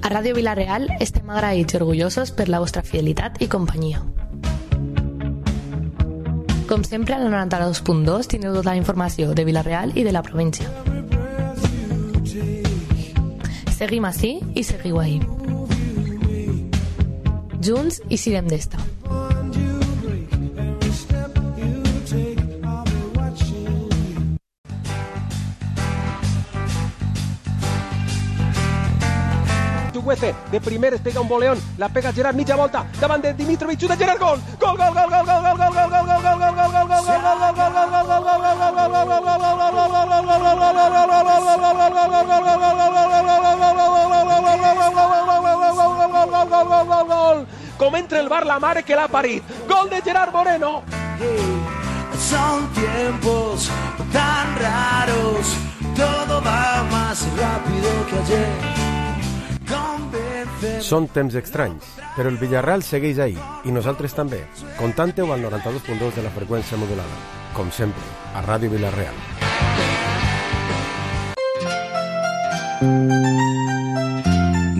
A Ràdio Vila-real estem agraïts i orgullosos per la vostra fidelitat i companyia. Com sempre, al 92.2 tindreu tota la informació de Vila-real i de la província. Seguim ací i seguiu ahí. Junts i sirem d'esta. De primer es pega un voleón, la pega Gerard, mitja volta, davant de Dimitrovic, de Gerard, gol! Gol, gol, gol, gol, gol, gol, gol, gol, gol, gol, gol, gol, gol, gol, com entra el bar la mare que l'ha parit. Gol de Gerard Moreno. Son tiempos tan raros, todo va más rápido que ayer. Són temps estranys, però el Villarreal segueix ahí, i nosaltres també. Contante-ho al 92.2 de la freqüència modulada. Com sempre, a Ràdio Vila-real.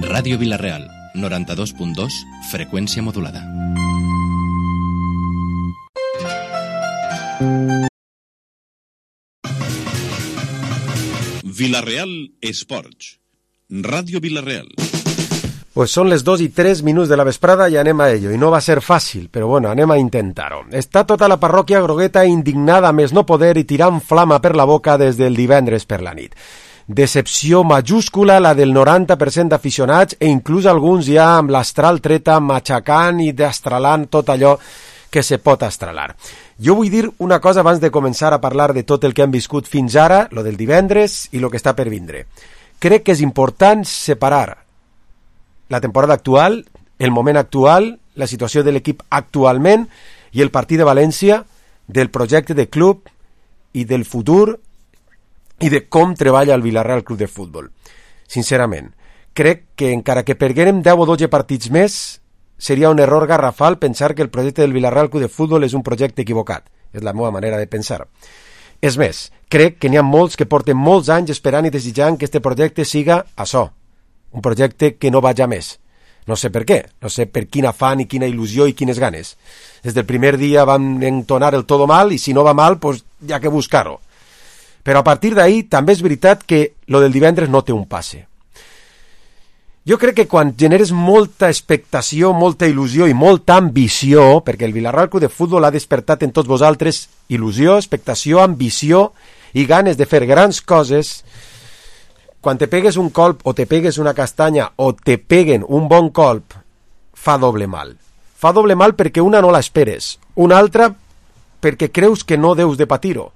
Ràdio Vila-real, 92.2, freqüència modulada. Vila-real Esports. Ràdio Vila-real. Pues són les 2:03 de la vesprada i anem a ello. I no va ser fàcil, però bueno, anem a intentar-ho. Està tota la parròquia grogueta indignada més no poder i tirant flama per la boca des del divendres per la nit. Decepció majúscula la del 90% d'aficionats e inclús alguns ja amb l'astral treta matxacant i destralant tot allò que se pot astralar. Jo vull dir una cosa abans de començar a parlar de tot el que hem viscut fins ara, lo del divendres i lo que està per vindre. Crec que és important separar la temporada actual, el moment actual, la situació de l'equip actualment i el partit de València del projecte de club i del futur i de com treballa el Villarreal Club de Futbol. Sincerament, crec que encara que perguérem 10 o 12 partits més, seria un error garrafal pensar que el projecte del Villarreal Club de Futbol és un projecte equivocat. És la meva manera de pensar. És més, crec que n'hi ha molts que porten molts anys esperant i desitjant que este projecte siga açò, un projecte que no vaja més. No sé per què, no sé per quin afany i quina il·lusió i quines ganes. Des del primer dia vam entonar el todo mal i si no va mal, pues hi ha que buscar-ho. Però a partir d'ahí també és veritat que lo del divendres no té un passe. Jo crec que quan generes molta expectació, molta il·lusió i molta ambició, perquè el Villarreal Club de Futbol ha despertat en tots vosaltres il·lusió, expectació, ambició i ganes de fer grans coses, quan te pegues un colp o te pegues una castanya o te peguen un bon colp, fa doble mal. Fa doble mal perquè una no l'esperes, una altra perquè creus que no deus de patir-ho,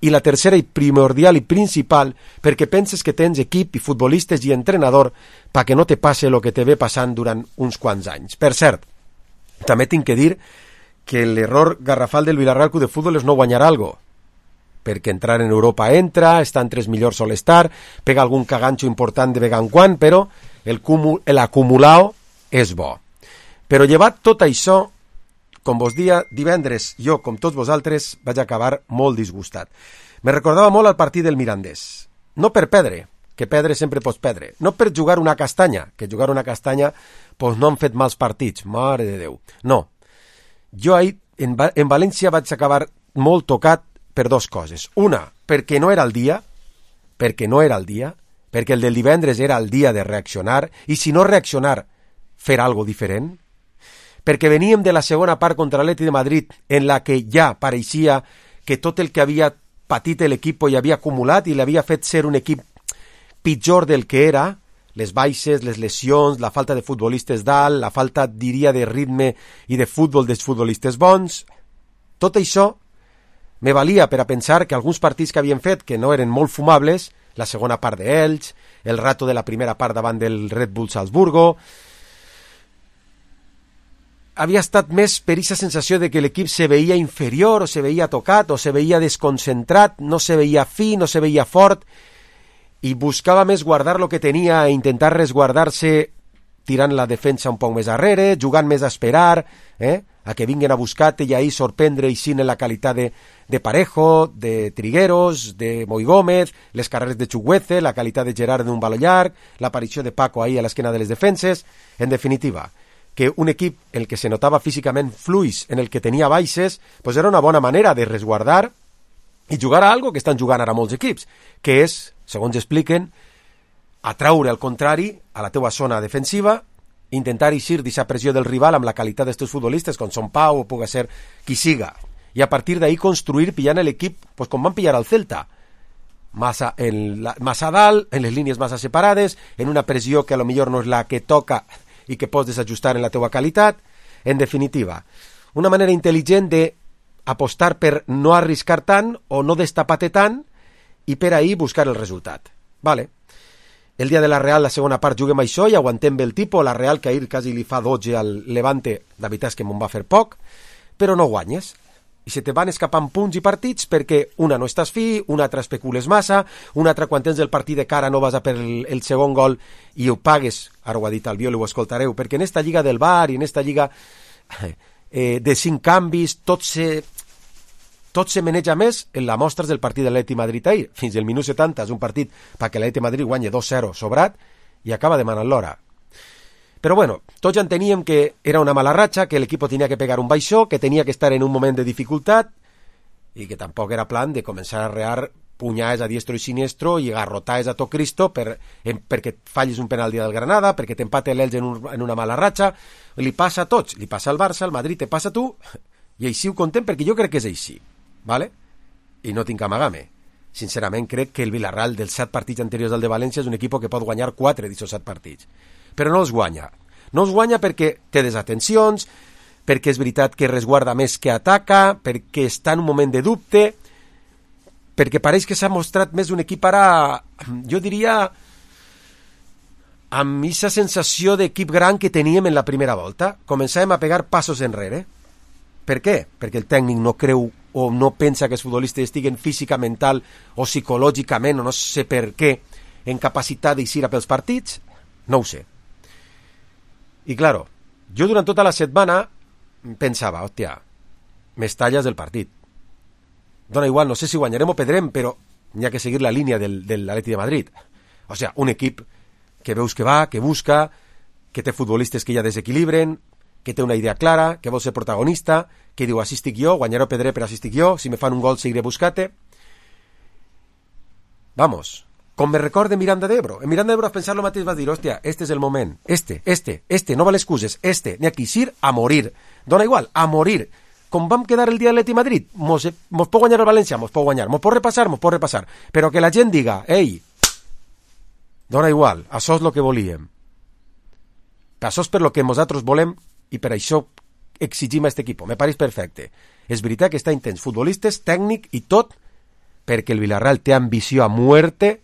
i la tercera i primordial i principal perquè penses que tens equip i futbolistes i entrenador perquè no te passe el que te ve passant durant uns quants anys. Per cert, també tinc que dir que l'error garrafal del Villarreal Club de Futbol és no guanyar algo, perquè entrar en Europa entra, està entre els millors sol estar, pega algun caganxo important de vegant quan, però l'acumulat és bo. Però llevat tot això, com vos dia divendres, jo, com tots vosaltres, vaig acabar molt disgustat. Me recordava molt el partit del Mirandés. No per perdre, que perdre sempre pots perdre. No per jugar una castanya, que jugar una castanya pues no han fet mals partits, mare de Déu. No. Jo ahir, en València, vaig acabar molt tocat per dos coses. Una, perquè no era el dia, perquè el del divendres era el dia de reaccionar, i si no reaccionar, fer algo diferent. Perquè veníem de la segona part contra l'Atlètic de Madrid, en la que ja pareixia que tot el que havia patit l'equip i havia acumulat i l'havia fet ser un equip pitjor del que era, les baixes, les lesions, la falta de futbolistes dalt, la falta, diria, de ritme i de futbol dels futbolistes bons. Tot això me valia per a pensar que alguns partits que havien fet, que no eren molt fumables, la segona part d'Elx, el rato de la primera part davant del Red Bull Salzburgo, havia estat més per aquesta sensació de que l'equip se veia inferior, o se veia tocat, o se veia desconcentrat, no se veia fi, no se veia fort, i buscava més guardar lo que tenia e intentar resguardar-se tirant la defensa un poc més arrere, jugant més a esperar, a que vinguen a buscar-te i ahir sorprendre i en la qualitat de Parejo, de Trigueros, de Moi Gómez, les carreres de Chuguece, la qualitat de Gerard d'un baló llarg, l'aparició de Paco ahir a l'esquena de les defenses. En definitiva, que un equip en el que se notava físicament fluix, en el que tenia baixes, pues era una bona manera de resguardar i jugar a algo que estan jugant ara molts equips, que és, segons expliquen, atraure al contrari a la teua zona defensiva, intentar eixir d'aquesta pressió del rival amb la qualitat d'estos futbolistes, com són Pau o pugui ser qui siga, i a partir d'ahí construir pillant l'equip pues, com van pillar al Celta, massa a dalt, en les línies massa separades, en una pressió que a lo millor no és la que toca i que pots desajustar en la teua qualitat. En definitiva, una manera intel·ligent d'apostar per no arriscar tant o no destapar-te tant i per ahir buscar el resultat. Vale. El dia de la Real, la segona part, juguem això i aguantem bé el tipus. La Real, que ahir quasi li fa 12 al Levante, la veritat és que me'n va fer poc, però no guanyes. I se te van escapant punts i partits perquè una no estàs fi, una altra especules massa, una altra quan tens el partit de cara no vas a per el segon gol i ho pagues, ara ho ha dit el Biol i ho escoltareu, perquè en esta lliga del VAR i en esta lliga de 5 canvis tot se maneja més en la mostres del partit de l'Atleti Madrid ahir. Fins al minut 70 és un partit perquè l'Atleti Madrid guanya 2-0 sobrat i acaba demanant l'hora. Però bueno, tots ja enteníem que era una mala ratxa, que l'equip tenia que pegar un baixó, que tenia que estar en un moment de dificultat i que tampoc era plan de començar a rear punyades a diestro i siniestro i garrotades a tot Cristo perquè fallis un penalti del Granada, perquè t'empate l'Elx en una mala ratxa. Li passa a tots, li passa al Barça, al Madrid, te passa a tu, i així ho contem perquè jo crec que és així. ¿Vale? I no tinc amagame. Sincerament crec que el Villarreal dels 7 partits anteriors al de València és un equip que pot guanyar 4 d'aquests 7 partits. Però no els guanya. No els guanya perquè té desatencions, perquè és veritat que resguarda més que ataca, perquè està en un moment de dubte, perquè pareix que s'ha mostrat més un equip ara, jo diria, amb aquesta sensació d'equip gran que teníem en la primera volta. Començàvem a pegar passos enrere. Per què? Perquè el tècnic no creu o no pensa que els futbolistes estiguen física, mental o psicològicament, o no sé per què, en capacitat d'eixir a pels partits? No ho sé. I, claro, jo durant tota la setmana pensava, hòstia, m'estalles del partit. Dona igual, no sé si guanyarem o perdrem, però hi ha que seguir la línia de l'Atleti de Madrid. O sigui, un equip que veus que va, que busca, que té futbolistes que ja desequilibren, que té una idea clara, que vol ser protagonista, que diu, així estic jo, guanyaré o perdré, però així estic jo, si me fan un gol seguiré buscant-te. Vamos, com me recorda Miranda d'Ebro. En Miranda d'Ebro, a pensar lo mateix, vas dir, hòstia, este és el moment, no val excuses, n'hi ha que ir a morir. Dona igual, a morir. Com vam quedar el dia de l'Atleti Madrid, mos pot guanyar el València, mos pot guanyar, mos pot repassar, però que la gent diga, ei, dona igual, això és el que volíem. Això és per lo que nosaltres volem i per això exigim a aquest equip. Me pareix perfecte. És veritat que està intens futbolistes, tècnic i tot, perquè el Villarreal té ambició a muerte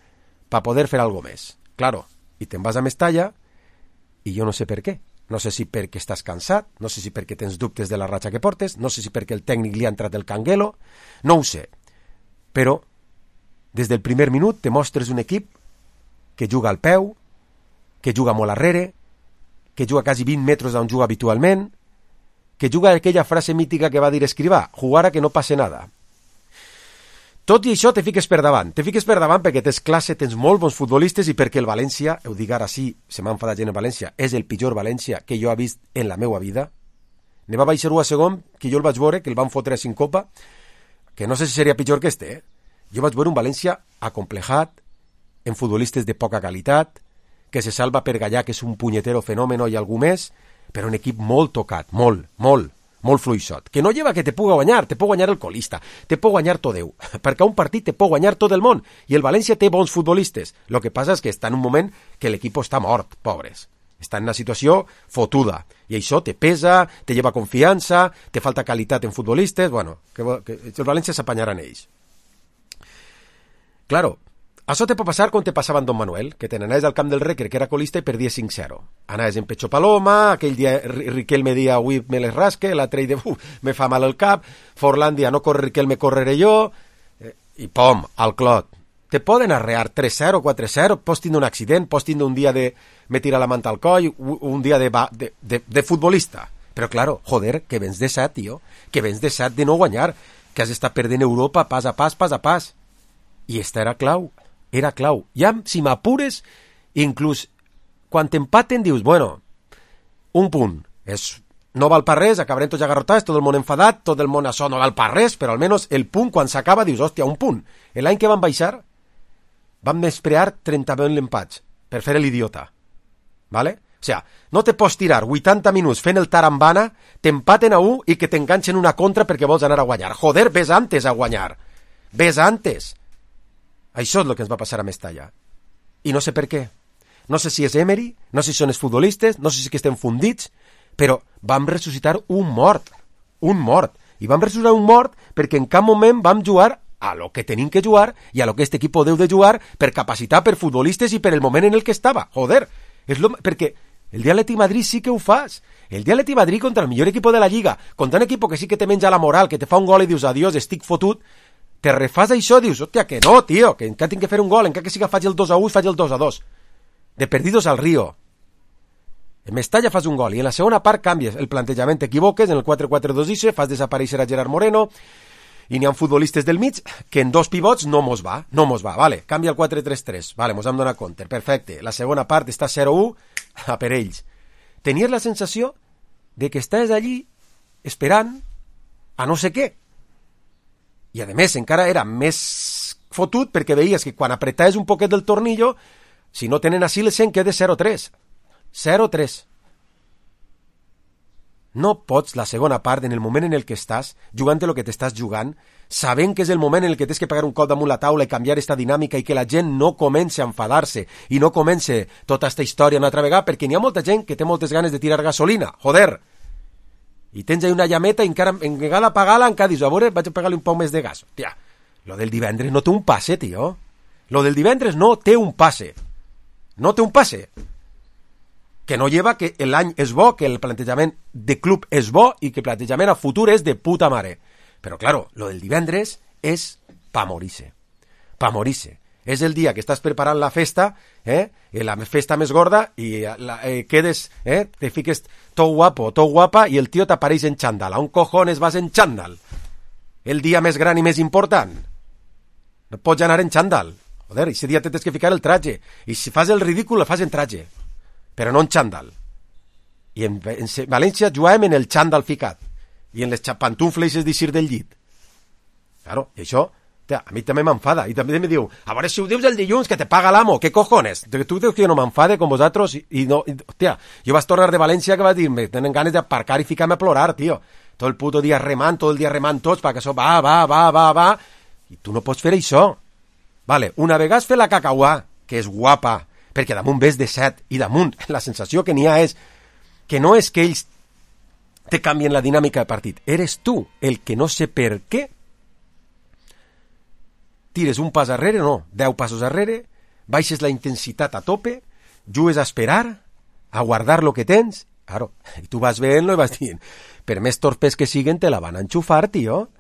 per poder fer algo més. Claro, i te'n vas a Mestalla i jo no sé per què. No sé si perquè estàs cansat, no sé si perquè tens dubtes de la ratxa que portes, no sé si perquè el tècnic li ha entrat el canguelo, no ho sé. Però des del primer minut te mostres un equip que juga al peu, que juga molt arrere, que juga quasi 20 metres d'on juga habitualment, que juga aquella frase mítica que va dir Escrivà, jugar a que no passe nada. Tot i això te fiques per davant perquè tens classe, tens molt bons futbolistes i perquè el València, ho dic ara sí, se m'ha enfadat gent en València, és el pitjor València que jo he vist en la meva vida. Ne va baixar 1 a segon, que jo el vaig veure, que el van fotre a Sincopa, que no sé si seria pitjor que este, Jo vaig veure un València acomplejat, en futbolistes de poca qualitat, que se salva per Gallà, que és un punyetero fenòmeno i algú més, però un equip molt tocat, molt fluixot, que no lleva que te puga guanyar, te pot guanyar el colista, te pot guanyar tot Déu, perquè a un partit te pot guanyar tot el món, i el València té bons futbolistes, el que passa és que està en un moment que l'equip està mort, pobres, està en una situació fotuda, i això te pesa, te lleva confiança, te falta qualitat en futbolistes, bueno, que el València s'apanyarà en ells. Claro, això te pot passar com te passava en Don Manuel, que te n'anaves al camp del Recre, que era colista, i perdies 5-0. Anaves en Pecho Paloma, aquell dia Riquelme dia, avui me les rasque, l'altre dia, me fa mal el cap, Forlàndia, no corre Riquelme, correré jo, i pom, al clot. Te poden arrear 3-0, 4-0, pots tindre un accident, pots tindre un dia de me tirar la manta al coll, un dia de futbolista, Però, claro, joder, que vens de 7, tio. Que vens de 7 de no guanyar. Que has estat perdent Europa pas a pas, pas a pas. I esta era clau. Era clau. Ja, si m'apures, inclús quan t'empaten dius, bueno, un punt. No val per res, acabarem tots agarrotats, tot el món enfadat, tot el món això no val per res, però almenys el punt, quan s'acaba, dius, hòstia, un punt. L'any que van baixar, van menysprear 30 l'empats per fer l'idiota. ¿Vale? O sea, no te pots tirar 80 minuts fent el tarambana, t'empaten a 1 i que t'enganxen una contra perquè vols anar a guanyar. Joder, ves antes a guanyar. Ves antes. Això és el que ens va passar a Mestalla. I no sé per què. No sé si és Emery, no sé si són els futbolistes, no sé si que estem fundits, però vam ressuscitar un mort. Un mort. I vam ressuscitar un mort perquè en cap moment vam jugar a lo que tenim que jugar i a lo que este equipo deu de jugar per capacitat, per futbolistes i per el moment en el que estava. Joder, perquè el dia Atleti Madrid sí que ho fas. El dia Atleti Madrid contra el millor equipo de la Lliga, contra un equipo que sí que te menja la moral, que te fa un gol i dius adiós, estic fotut, te refas això i dius, hòstia, que no, tio, que encara tinc que fer un gol, encara que siga faig el 2-1, faig el 2-2. De perdidos al río. En Mestalla fas un gol i en la segona part canvies el plantejament, t'equivoques, en el 4-4-2 fas desaparèixer a Gerard Moreno i n'hi ha futbolistes del mig que en 2 pivots no mos va, vale, canvia el 4-3-3, vale, mos hem donat compte, perfecte, la segona part està 0-1 a per ells. Tenies la sensació de que estàs allí esperant a no sé què. I a més encara era més fotut perquè veies que quan apretaves un poquet del tornillo, si no tenen així les 100 queda 0-3. 0-3. No pots la segona part en el moment en el que estàs, jugant el que t'estàs jugant, sabent que és el moment en el que tens que pegar un cop damunt la taula i canviar esta dinàmica i que la gent no comenci a enfadar-se i no comenci tota esta història una altra vegada, perquè n'hi ha molta gent que té moltes ganes de tirar gasolina, joder. I tens ahí una llameta i encara en vegada apagar-la encara dius, a veure, vaig a pegar-li un poc més de gas. Tia, lo del divendres no té un passe, tio. Lo del divendres no té un passe. No té un passe. Que no lleva que l'any és bo, que el plantejament de club és bo i que el plantejament a futur és de puta mare. Però, claro, lo del divendres és pa morir-se. Pa morir-se. És el dia que estàs preparant la festa, la festa més gorda, i quedes, te fiques tot guapo, tot guapa, i el tio t'apareix en xandall. A un cojones vas en xandall? El dia més gran i més important. No pots anar en xandall. Joder, ese dia tens que ficar el traje. I si fas el ridícul, el fas en traje. Però no en xandall. I en València jugàvem en el xandall ficat. I en les pantufles d'eixir del llit. Claro, i això, tia, a mi també m'enfada. I també em diu, a veure si ho dius el dilluns, que te paga l'amo, què cojones? Tu dius que jo no m'enfade com vosaltres? I no, tia, jo vaig tornar de València que va dir-me, tenen ganes d'aparcar i ficar-me a plorar, tio. Tot el puto dia remant, tot el dia remant tots, perquè això va. I tu no pots fer això. Vale, una vegada has fet la cacauà, que és guapa, perquè damunt ves de 7 i damunt la sensació que n'hi ha és que no és que ells te canvien la dinàmica de partit, eres tu el que no sé per què tires un pas arrere, no, 10 passos arrere, baixes la intensitat a tope, jugues a esperar, a guardar lo que tens, claro, i tu vas veient-lo i vas dient, per més torpes que siguen te la van a enxufar, tio,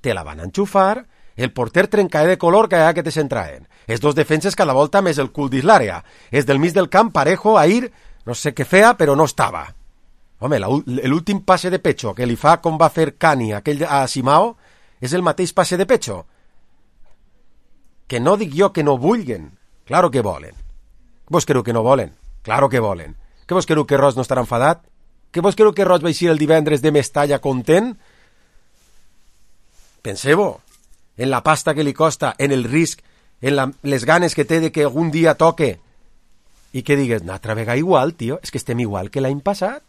te la van a enxufar. El porter trencae de color cada que te centraen. Els dos defenses cada volta més el cul dins l'àrea. És del mig del camp, Parejo, Ahir, no sé què feia, però no estava. Home, l'últim passe de pecho que li fa com va fer Cani aquell a Simao és el mateix passe de pecho. Que no dic jo que no vulguen. Claro que volen. Què vos creu que no volen? Claro que volen. Què vos creu que Ros no estarà enfadat? Què vos creu que Ros va eixir el divendres de Mestalla content? Penseu-ho. En la pasta que li costa, en el risc, en les ganes que té de que algun dia toque, i que digues, una altra vegada igual, tio, és que estem igual que l'any passat.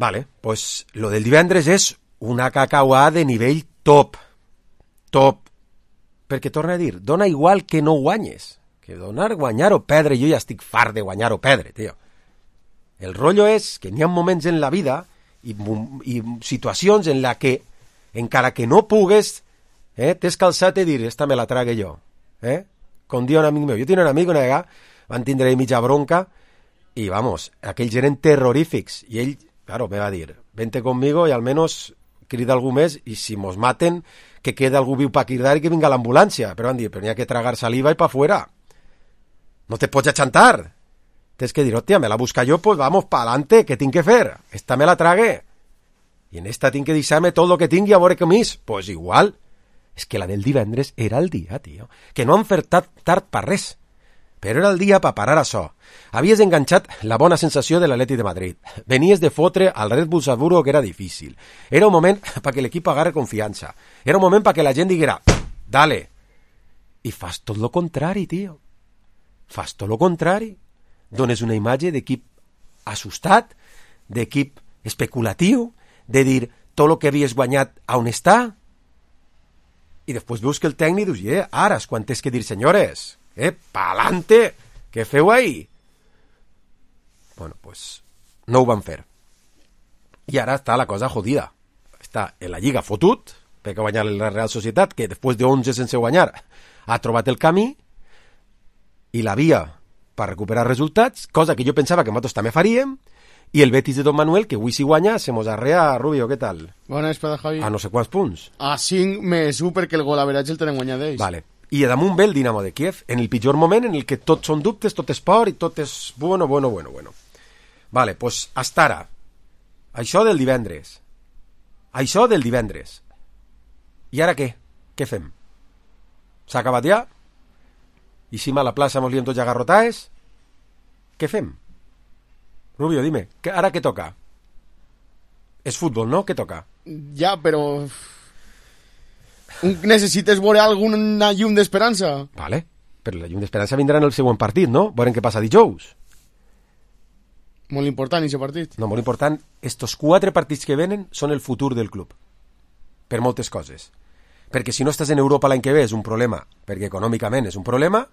Vale, pues lo del divendres és una cacauà de nivell top. Top. Perquè, torna a dir, dona igual que no guanyes. Que donar, guanyar o perdre, jo ja estic fart de guanyar o perdre, tio. El rotllo és que n'hi ha moments en la vida i situacions en la que encara que no pugues, t'has calçat i dir, esta me la trague jo. Com diu un amic meu. Jo tinc un amic una vegada, van tindre mitja bronca, i vamos, aquells eren terrorífics. I ell, claro, me va dir, vente conmigo i almenys crida algú més, i si mos maten, que quede algú viu pa cridar i que vinga l'ambulància. Però van dir, però n'hi ha que tragar saliva i pa fuera. No te pots achantar. tens que dir, hòstia, me la busca jo, pues vamos pa adelante, què tinc que fer? Esta me la tragué. I en esta tinc que deixar-me tot el que tingui a veure com és. Pues igual. És que la del divendres era el dia, tio. Que no han fet tard per res. Però era el dia per parar això. Havies enganxat la bona sensació de l'Atleti de Madrid. Venies de fotre al Red Bull Salzburgo, que era difícil. Era un moment perquè l'equip agarre confiança. Era un moment perquè la gent diguera, dale. I fas tot lo contrari, tio. Fas tot lo contrari. Dones una imatge d'equip assustat, d'equip especulatiu, de dir tot el que havies guanyat a on està, i després veus que el tècnic dius, ara és quan tens que dir, senyores, pa'lante, què feu ahí? Bueno, pues no ho van fer. I ara està la cosa jodida. Està en la Lliga fotut, perquè ha guanyat la Real Societat, que després de 11 sense guanyar ha trobat el camí i la via per recuperar resultats, cosa que jo pensava que nosaltres també faríem, i el Betis de Don Manuel, que avui si guanya, se mos arrea. Rubio, què tal? Bona vesprada, Javi. A no sé quants punts. A 5 més 1 perquè el gol average el tenen guanyat d'ells. Vale. I damunt ve el Dinamo de Kiev, en el pitjor moment en el que tot són dubtes, tot és por i tot és bueno. Vale, pues hasta ara. Això del divendres. I ara què? Què fem? S'ha acabat ja? I si a la plaça mos liem tots agarrotaes? Què fem? Rubio, dime, ¿ara qué toca? És futbol, no? Què toca? Ja, però... Necessites veure alguna llum d'esperança? Vale, però la llum d'esperança vindrà en el següent partit, no? Veurem què passa dijous. Molt important, aquest partit. No, molt important. Estos 4 partits que venen són el futur del club. Per moltes coses. Perquè si no estàs en Europa l'any que ve és un problema, perquè econòmicament és un problema,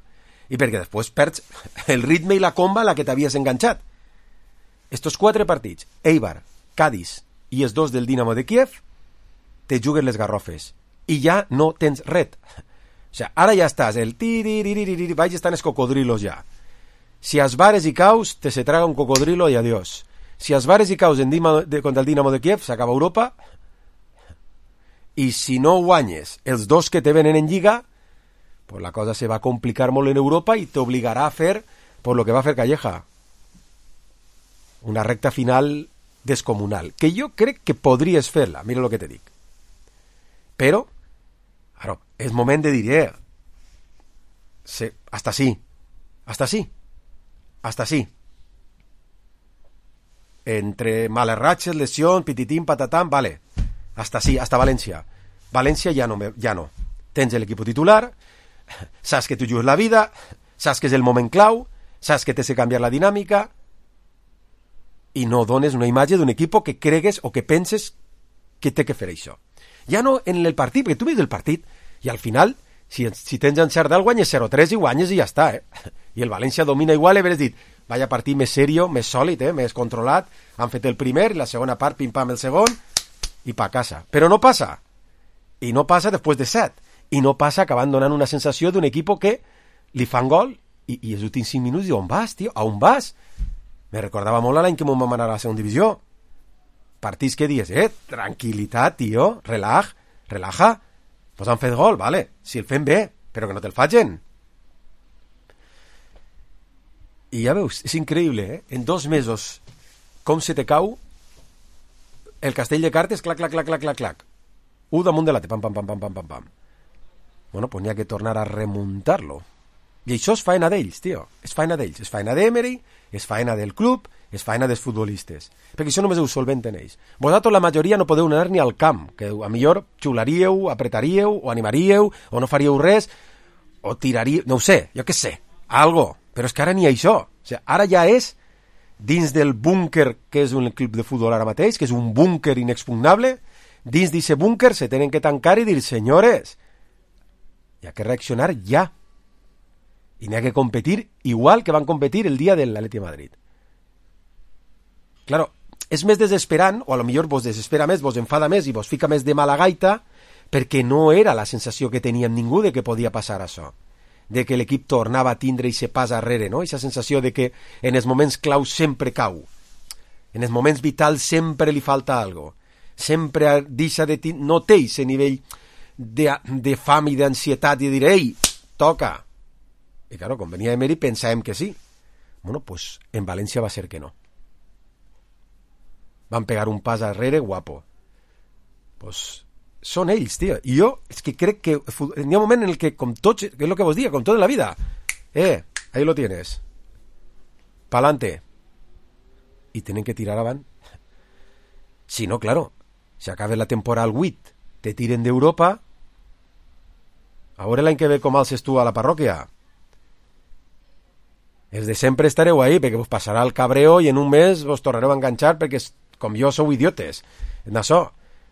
i perquè després perds el ritme i la comba a la que t'havies enganxat. Estos 4 partits, Eibar, Cádiz i els 2 del Dinamo de Kiev, te juguen les garrofes. I ja no tens ret. O sigui, ara ja estàs, el tiriririririr, vaig estar els cocodrilos ja. Si as bares i caus, te se traga un cocodrilo i adiós. Si as bares i caus contra el Dinamo de Kiev, s'acaba Europa. I si no guanyes els 2 que te venen en Lliga, pues la cosa se va a complicar molt en Europa i t'obligarà a fer por lo que va fer Calleja. Una recta final descomunal, que jo crec que podries fer-la, mira el que te dic. Però, claro, és moment de dir, hasta sí. Entre males ratxes, lesions, pititín, patatán, vale, hasta València. València ja no. Tens l'equip titular, saps que tu jugues la vida, saps que és el moment clau, saps que tens que canviar la dinàmica, i no dones una imatge d'un equip que cregues o que penses que té que fer això. Ja no en el partit, perquè tu veus el partit i al final, si tens encert del guanyes 0-3 i guanyes i ja està, I el València domina igual i haver dit, vaya partit més serio, més sòlid, més controlat, han fet el primer i la segona part, pim-pam el segon, i pa casa. Però no passa. I no passa després de 7. I no passa acabant donant una sensació d'un equip que li fan gol i els últims 5 minuts diu, on vas, tio? A on vas? Me recordava molt l'any que m'ho vam anar a la segona divisió. Partits que dius, tranquil·litat, tio, relaja. Pues han fet gol, vale, si el fem bé, però que no te'l facin. I ja veus, és increïble, En 2 mesos, com se te cau el castell de cartes, clac. 1 damunt de l'altre, pam. Bueno, pues n'hi ha que tornar a remuntar-lo. I això és faena d'ells, tio. És faena d'ells. És faena d'Emery, és faena del club, és faena dels futbolistes. Perquè això només ho solventen ells. Vosaltres, la majoria, no podeu anar ni al camp, que a millor xularíeu, apretaríeu, o animaríeu, o no faríeu res, o tiraríeu, no ho sé, jo què sé, algo. Però és que ara ni això. O sigui, ara ja és dins del búnquer que és un club de futbol ara mateix, que és un búnquer inexpugnable, dins d'aquest búnquer se tenen que tancar i dir, senyores, hi ha que reaccionar ja. I n'hi ha que competir igual que van competir el dia de l'Atleti de Madrid. Claro, és més desesperant, o a lo millor vos desespera més, vos enfada més i vos fica més de mala gaita, perquè no era la sensació que teníem ningú de que podia passar això, de que l'equip tornava a tindre i se pas arrere, no? Aquesta sensació de que en els moments clau sempre cau, en els moments vitals sempre li falta algo, sempre deixa de no té aquest nivell de fam i d'ansietat i dir, ei, toca. I claro, quan venia Emery pensàvem que sí. Bueno, pues en València va ser que no. Van pegar un pas arrere guapo. Pues són ells, tio. I jo és que crec que hi ha un moment en el que, com tots, que és el que vos diga, com tot en la vida, ahí lo tienes. Pa'lante. Y tienen que tirar avant. Si no, claro, si acaba la temporada al 8, te tiren d'Europa, a veure l'any que ve com alces tu a la parròquia. Els de sempre estareu ahí, perquè vos passarà el cabreo i en un mes vos tornareu a enganxar perquè, com jo, sou idiotes. En això.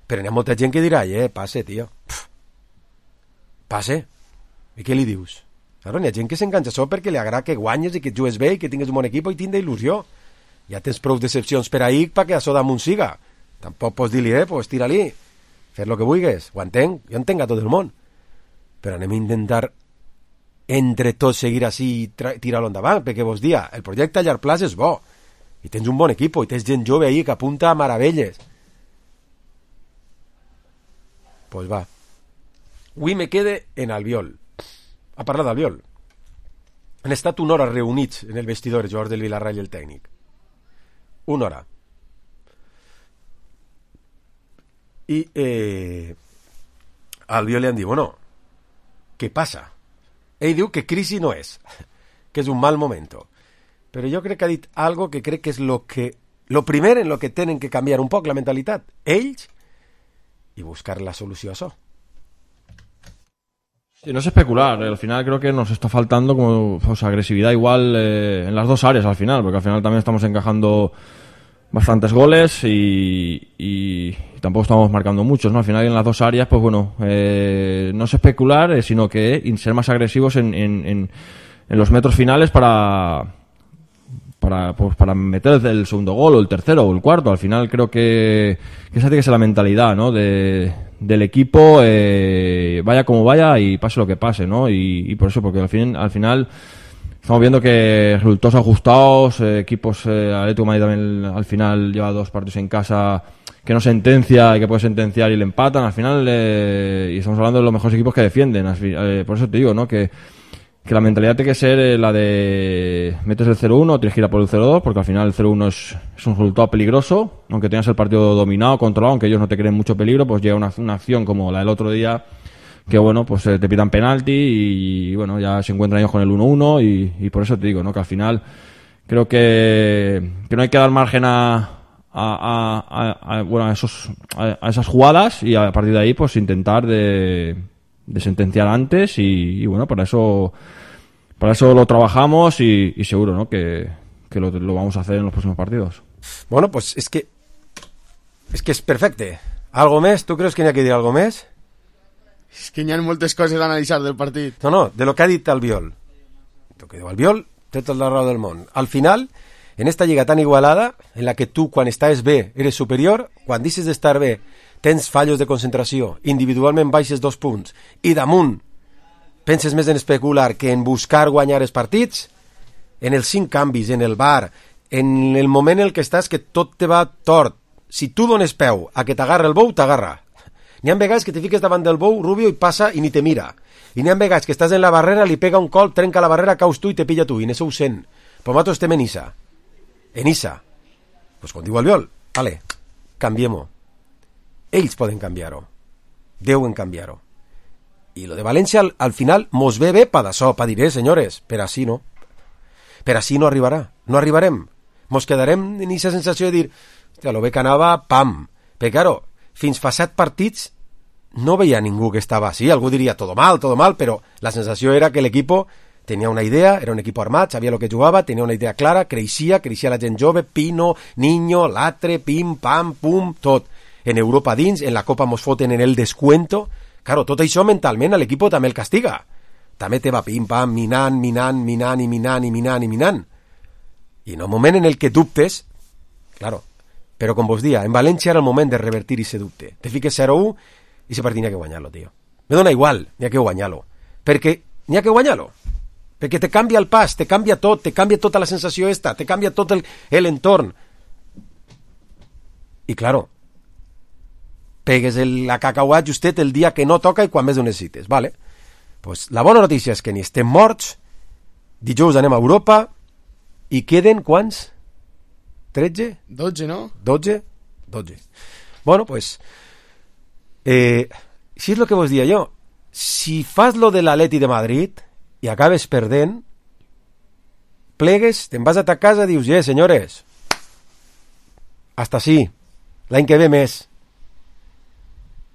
Però hi ha molta gent que dirà, passe, tio. Passe. I què li dius? Claro, hi ha gent que s'enganxa això perquè li agrada que guanyes i que jugues bé i que tingues un bon equip i tingues il·lusió. Ja tens prou decepcions per ahir perquè això damunt siga. Tampoc pots dir-li, pues tira-li. Fes el que vulguis. Ho entenc. Jo entenc a tot el món. Però anem a intentar entre tots seguir així i tirar-lo endavant, perquè vos dia, el projecte a llarg plaç és bo. I tens un bon equip, i tens gent jove ahí que apunta a meravelles. Pues va. Avui me quede en Albiol. A parlar d'Albiol. Han estat una hora reunits en el vestidor els jugadors del Villarreal i el tècnic. Una hora. I a Albiol li han dit, bueno, què passa? Ell diu que crisi no és, que és un mal momento. Però jo crec que ha dit algo que crec que és lo primer en lo que tenen que canviar un poc la mentalitat. Ells y buscar la solución a eso. Sí, no es especular, al final creo que nos está faltando como agresividad igual en las dos áreas al final, porque al final también estamos encajando bastantes goles y tampoco estamos marcando muchos, ¿no? Al final en las dos áreas, pues bueno, no es especular, sino que ser más agresivos en los metros finales para meter el segundo gol o el tercero o el cuarto. Al final creo que esa tiene que ser la mentalidad, ¿no? Del equipo, vaya como vaya y pase lo que pase, ¿no? Y por eso, porque al final estamos viendo que resultados ajustados, equipos, Atlético de Madrid también al final lleva 2 partidos en casa que no sentencia y que puede sentenciar y le empatan. Al final, y estamos hablando de los mejores equipos que defienden. Por eso te digo, ¿no? Que la mentalidad tiene que ser la de metes el 0-1, tienes que ir a por el 0-2, porque al final el 0-1 es un resultado peligroso, aunque tengas el partido dominado, controlado, aunque ellos no te creen mucho peligro, pues llega una acción como la del otro día, que bueno, pues te pitan penalti y bueno, ya se encuentran ellos con el 1-1 y por eso te digo, ¿no? Que al final creo que no hay que dar margen a esas jugadas y a partir de ahí pues intentar de sentenciar antes y bueno, para eso lo trabajamos y seguro, ¿no? que lo vamos a hacer en los próximos partidos. Bueno, pues es que es perfecte. ¿Algo més? Tu creus que n'hi ha que dir algo més? És que hi ha moltes coses a analitzar del partit. No, de lo que ha dit Albiol. El que diu Albiol té tot la raó del món. Al final, en esta lliga tan igualada, en la que tu, quan estàs bé, eres superior, quan deixes d'estar bé, tens fallos de concentració, individualment baixes 2 punts, i damunt penses més en especular que en buscar guanyar els partits, en els 5 canvis, en el VAR, en el moment en el que estàs que tot te va tort. Si tu dones peu a que t'agarra el bou, t'agarra. N'hi ha vegades que te fiques davant del bou, Rubio, i passa i ni te mira. I n'hi ha vegades que estàs en la barrera, li pega un colp, trenca la barrera, caus tu i te pilla tu, i n'això ho sent. Però nosaltres estem en Issa. En Issa. Pues com diu Albiol, vale, canviem-ho. Ells poden canviar-ho. Deuen canviar-ho. I lo de València al final mos ve bé per d'això, per dir, senyores, per així no. Per així no arribarà. No arribarem. Mos quedarem en aquesta sensació de dir, hòstia, lo bé que anava, pam. Perquè, claro, fins fa 7 partits no veia ningú que estava així. Algú diria, todo mal, però la sensació era que l'equipo tenia una idea, era un equip armat, sabia lo que jugava, tenia una idea clara, creixia la gent jove, Pino, Niño, Latre, pim, pam, pum, tot. En Europa dins, en la Copa mos foten en el descuento. Claro, tot això mentalment a l'equip també el castiga. També te va pim-pam, minant. I en un moment en el que dubtes, claro, però com vos dia, en València era el moment de revertir ese dubte. Te fiques 0-1 i ese partit n'hi ha que guanyar-lo, tio. Me dona igual, n'hi ha que guanyar-lo. Perquè n'hi ha que guanyar-lo. Perquè te canvia el pas, te canvia tot, te canvia tota la sensació esta, te canvia tot l'entorn. I claro, pegues la cacauà justet el dia que no toca i quan més ho necessites, vale? Pues la bona notícia és que ni estem morts, dijous anem a Europa, I queden quants? 13? 12, no? 12? 12. Bueno, pues... si és el que vos dia jo, si fas lo de l'Atleti de Madrid i acabes perdent, plegues, te'n vas a ta casa i dius, senyores, hasta sí, l'any que ve més.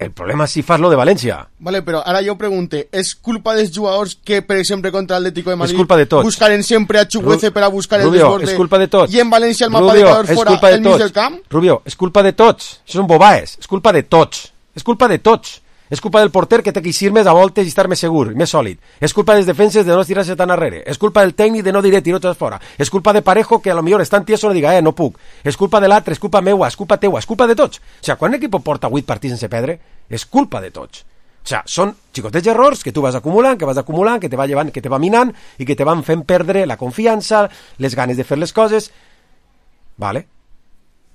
El problema és si fas lo de València. Vale, però ara jo pregunte, és culpa dels jugadors que, per exemple, contra l'Atlético de Madrid és culpa de tots. buscaren sempre a Chukwueze per a buscar Rubio, el desborde? és culpa de tots. I en València el mapa Rubio, de calor fora el mig del camp? Rubio, és culpa de tots. Això són bobaes. És culpa de tots. És culpa de tots. És culpa del porter que té que eixir més a voltes i estar més segur, més sòlid. És culpa dels defenses de no estirar-se tan arrere. És culpa del tècnic de no dir tirotes fora. És culpa de Parejo que a lo millor és tan tieso no diga, no puc. És culpa de l'altre, és culpa meua, és culpa teua, és culpa de tots. O sigui, quan l'equip porta 8 partits sense perdre, és culpa de tots. O sigui, són xicotets errors que tu vas acumulant, que te va llevant, que te va minant i que te van fent perdre la confiança, les ganes de fer les coses. Vale?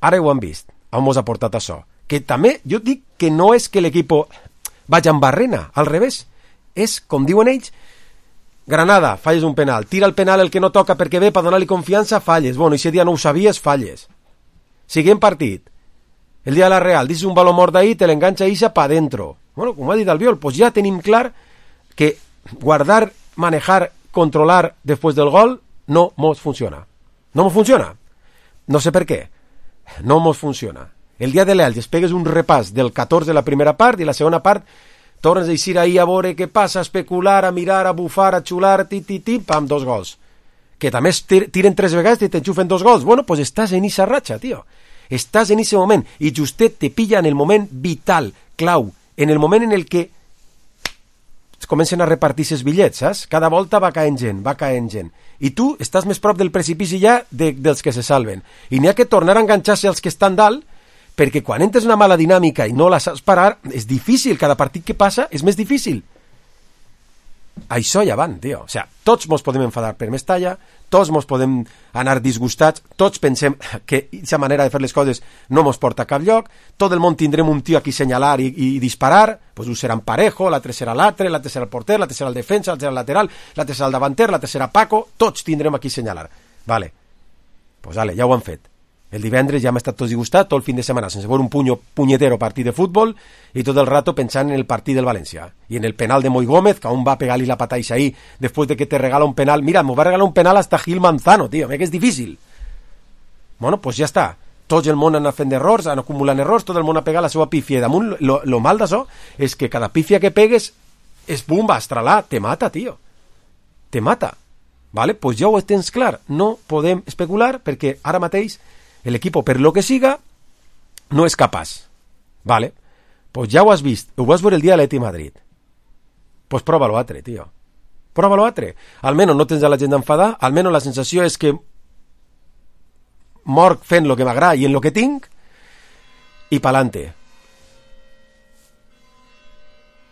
Ara ho han vist. On mos ha portat això? Que també, jo dic que no és que l'equip vaig en barrena, al revés. És, com diuen ells, Granada, falles un penal. Tira el penal el que no toca perquè ve per donar-li confiança, falles. Bueno, i si dia no ho sabies, falles. Siguent partit. El dia de la Real, dices un baló mort d'ahir, te l'enganxa Isa pa dentro. Bueno, com ha dit Albiol, pues ja tenim clar que guardar, manejar, controlar després del gol no mos funciona. No mos funciona. No sé per què. No mos funciona. El dia de l'Elx es pegues un repàs del 14 de la primera part i la segona part tornes a eixir ahir a veure què passa, a especular, a mirar, a bufar, a xular, pam, 2 gols. Que també tiren 3 vegades i t'enxufen 2 gols. Bueno, pues estàs en esa ratxa, tio. Estàs en ese moment i justet te pilla en el moment vital, clau, en el moment en el que es comencen a repartir ses bitllets, saps? Cada volta va caent gent. I tu estàs més prop del precipici ja dels que se salven. I n'hi ha que tornar a enganxar-se als que estan dalt, perquè quan entres una mala dinàmica i no la saps parar, és difícil, cada partit que passa és més difícil. Això ja van, tio. O sigui, tots mos podem enfadar per Mestalla, tots mos podem anar disgustats, tots pensem que aquesta manera de fer les coses no mos porta a cap lloc, tot el món tindrem un tio aquí senyalar i disparar, pues un serà en Parejo, l'altre serà l'altre serà el porter, l'altre serà el defensa, l'altre serà el lateral, l'altre serà el davanter, l'altre serà Paco, tots tindrem aquí senyalar. Vale, pues vale, ja ho han fet. El divendres ja hem estat tots disgustats tot el fin de setmana sense veure un punyetero partit de futbol i tot el rato pensant en el partit del València i en el penal de Moi Gómez, que aún va pegar-li la pataixa ahí després de que te regala un penal. Mira, m'ho va regalar un penal hasta Gil Manzano, tio, que és difícil. Bueno, pues ja està. Tot el món han fet errors, han acumulat errors, tot el món ha pegat la seva pífia. I damunt, lo mal d'això és que cada pífia que pegues és bomba, estralà, te mata, tio. Te mata. Vale? Pues ja ho tens clar. No podem especular perquè ara mateix el equipo, per lo que siga, no és capaç. Vale? Pues ja ho has vist. Ho vas veure el dia de l'Atleti Madrid. Pues prova-lo altre, tio. Prova-lo altre. Almenys no tens a la gent d'enfadar, almenys la sensació és que morc fent lo que m'agrada i en lo que tinc i pa'lante.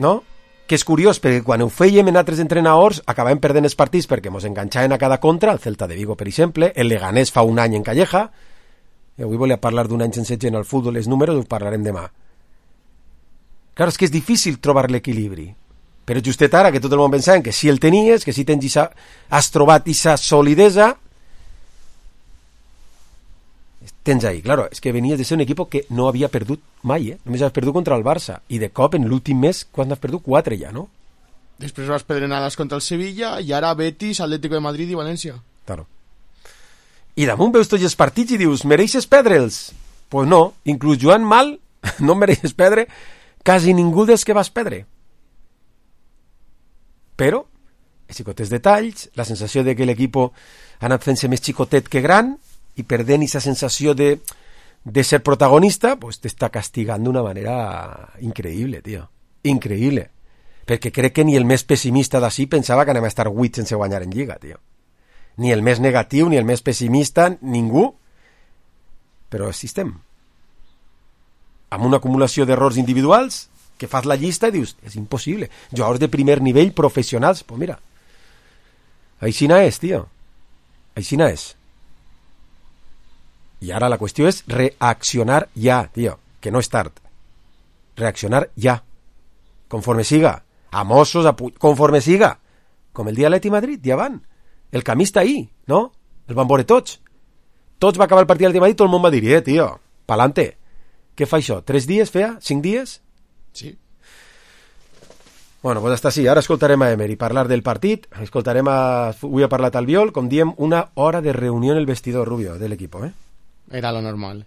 No? Que és curiós, perquè quan ho fèiem en altres entrenadors acabàvem perdent els partits perquè mos enganxaven a cada contra, el Celta de Vigo, per exemple, el Leganés fa un any en Calleja. I avui volia parlar d'un any sense gent al futbol, els números ho parlarem demà. Clar, és que és difícil trobar l'equilibri. Però justet ara, que tot el món pensava que si el tenies, que si has trobat aquesta solidesa, tens ahí. Claro, és que venies de ser un equip que no havia perdut mai, només has perdut contra el Barça. I de cop, en l'últim mes, quan has perdut? 4 ja, no? Després vas pedrenades contra el Sevilla i ara Betis, Atlético de Madrid i València. Claro. I damunt veus tots els partits i dius, mereixes perdre'ls? Pues no, inclús jugant mal, no mereixes perdre quasi ningú dels que vas perdre. Però, els xicotes detalls, la sensació de que l'equip ha anat fent-se més xicotet que gran i perdent aquesta sensació de ser protagonista, pues t'està castigant d'una manera increïble, tio. Increïble. Perquè crec que ni el més pessimista d'ací pensava que anem a estar 8 sense guanyar en Lliga, tio. Ni el més negatiu, ni el més pessimista, ningú. Però així estem. Amb una acumulació d'errors individuals que fas la llista i dius, és impossible. Jugadors de primer nivell, professionals, pues mira, aixina és, tio. Aixina és. I ara la qüestió és reaccionar ja, tio, que no és tard. Reaccionar ja. Conforme siga. A Mossos, conforme siga. Com el dia de l'Atleti Madrid, ja van. El camí està ahí, no? El van veure tots. Tots va acabar el partit al matí i tot el món va dir, tio, pa'lante. Què fa això? 3 dies feia? 5 dies? Sí. Bueno, pues hasta sí. Ara escoltarem a Emery parlar del partit. Escoltarem avui ha parlat Albiol, com diem, una hora de reunió en el vestidor, Rubio, de l'equip, Era lo normal.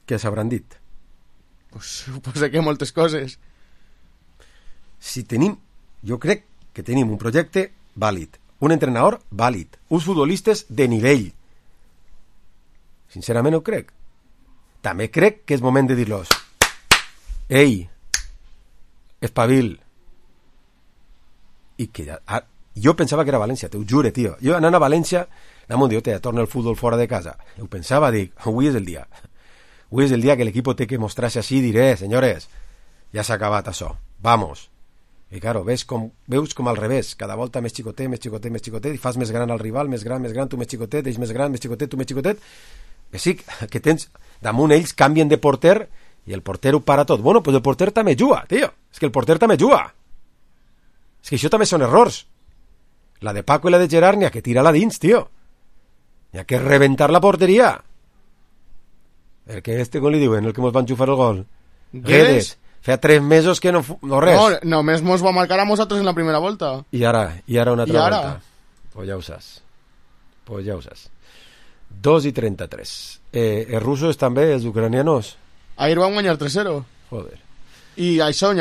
Què s'hauran dit? Pues suposo que moltes coses. Si tenim, jo crec que tenim un projecte vàlid, un entrenador vàlid, uns futbolistes de nivell. Sincerament ho crec. També crec que és moment de dir-los: ei, espavil. I que jo pensava que era València, t'ho jure, tio. Jo anant a València, anant un dia, torna el futbol fora de casa. Ho pensava, dic, avui és el dia. Avui és el dia que l'equip té que mostrar-se així i diré, senyores, ja s'ha acabat això, vamos. I claro, veus com al revés, cada volta més xicotet, més xicotet, més xicotet, i fas més gran al rival, més gran, tu més xicotet, ells més gran, més xicotet, tu més xicotet. Que sí, que tens, damunt ells canvien de porter i el porter ho para tot. Bueno, pues el porter també juga, tio. És que el porter també juga. És que això també són errors. La de Paco i la de Gerard n'hi ha que tirar-la dins, tio. N'hi ha que reventar la porteria. Perquè com li diuen, el que mos van xufar el gol? Guedes. Feia 3 mesos que no res. No, només mos va marcar a nosaltres en la primera volta. I ara una altra volta. Pues ja ho saps. 2:33. Els russos també, els ucranianos? Ahir van guanyar 3-0. Joder. I això,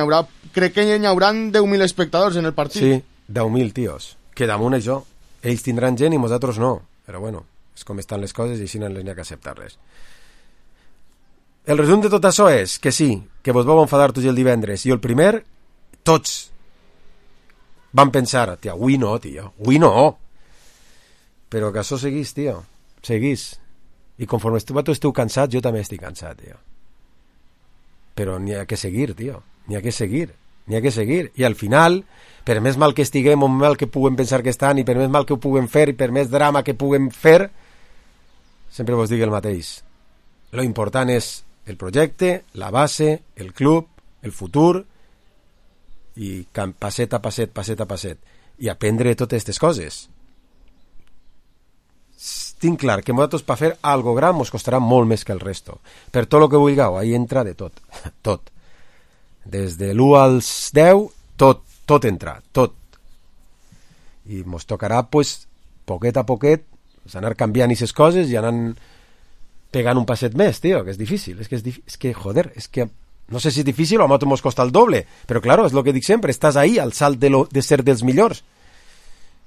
crec que hi haurà 10.000 espectadors en el partit. Sí, 10.000 tios. Que damunt això, ells tindran gent i nosaltres no. Però bueno, és com estan les coses i així no les n'hi ha que acceptar-les. El resum de tot això és que sí, que vos vau enfadar tots el divendres, i el primer, tots van pensar, tia, avui no, però que això seguís, tio, seguís, i conforme esteu cansats, jo també estic cansat, tio, però n'hi ha que seguir, tio, n'hi ha que seguir, i al final, per més mal que estiguem, o mal que puguem pensar que estan, i per més mal que ho puguem fer, i per més drama que puguem fer, sempre vos dic el mateix, lo important és el projecte, la base, el club, el futur, i passet a passet, i aprendre totes aquestes coses. Tinc clar que nosaltres per fer algo gran mos costarà molt més que el resto. Per tot el que vulgueu, ahí entra de tot. Tot. Des de l'1 als 10, tot entra, tot. I mos tocarà, pues, poquet a poquet, anar canviant aquestes coses i anar pegant un passet més, tio, que és difícil. És que, joder, no sé si és difícil o a nosaltres mos costa el doble, però claro, és el que dic sempre, estàs ahí al salt de ser dels millors.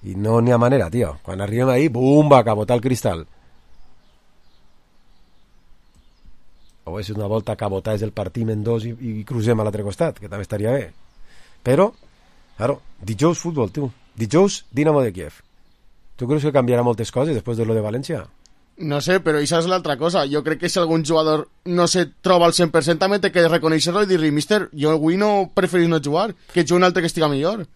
I no n'hi ha manera, tio. Quan arribem ahí, bum, va cabotar el cristal. O és una volta cabotar és el partim en dos i crucem a l'altre costat, que també estaria bé. Però, claro, dijous futbol, tu. Dijous Dinamo de Kiev. Tu creus que canviarà moltes coses després de lo de València? No sé, però això és l'altra cosa. Jo crec que si algun jugador no se troba al 100% també té que reconèixer-lo i dir-li, mister, jo avui no preferís no jugar, que jugui un altre que estiga millor.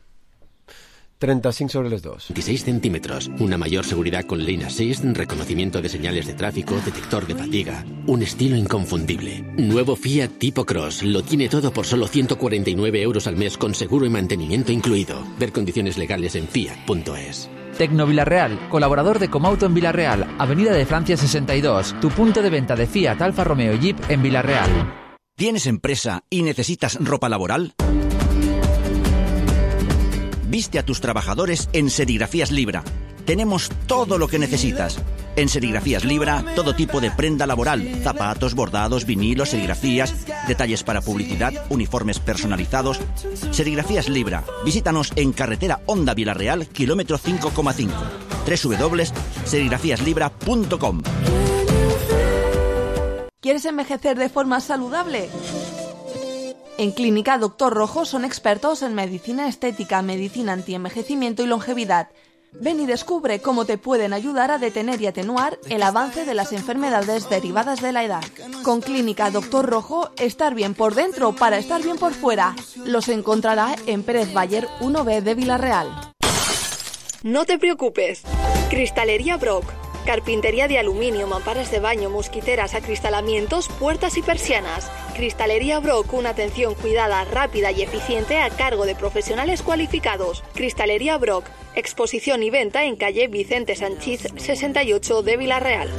35 sobre les 2. 16 centímetros, una mayor seguridad con Lane Assist, reconocimiento de señales de tráfico, detector de fatiga, un estilo inconfundible. Nuevo Fiat Tipo Cross, lo tiene todo por solo 149 euros al mes con seguro y mantenimiento incluido. Ver condiciones legales en fiat.es. Tecno Villarreal, colaborador de Comauto en Villarreal, Avenida de Francia 62, tu punto de venta de Fiat, Alfa Romeo y Jeep en Villarreal. ¿Tienes empresa y necesitas ropa laboral? Viste a tus trabajadores en Serigrafías Libra. Tenemos todo lo que necesitas. En Serigrafías Libra, todo tipo de prenda laboral, zapatos, bordados, vinilos, serigrafías, detalles para publicidad, uniformes personalizados. Serigrafías Libra. Visítanos en carretera Honda Villarreal, kilómetro 5,5. www.serigrafíaslibra.com. ¿Quieres envejecer de forma saludable? En Clínica Dr. Rojo son expertos en medicina estética, medicina antienvejecimiento y longevidad. Ven y descubre cómo te pueden ayudar a detener y atenuar el avance de las enfermedades derivadas de la edad. Con Clínica Dr. Rojo, estar bien por dentro para estar bien por fuera. Los encontrará en Pérez Bayer 1B de Villarreal. No te preocupes. Cristalería Brock. Carpintería de aluminio, mamparas de baño, mosquiteras, acristalamientos, puertas y persianas. Cristalería Brock, una atención cuidada, rápida y eficiente a cargo de profesionales cualificados. Cristalería Brock, exposición y venta en calle Vicente Sanchís 68 de Villarreal.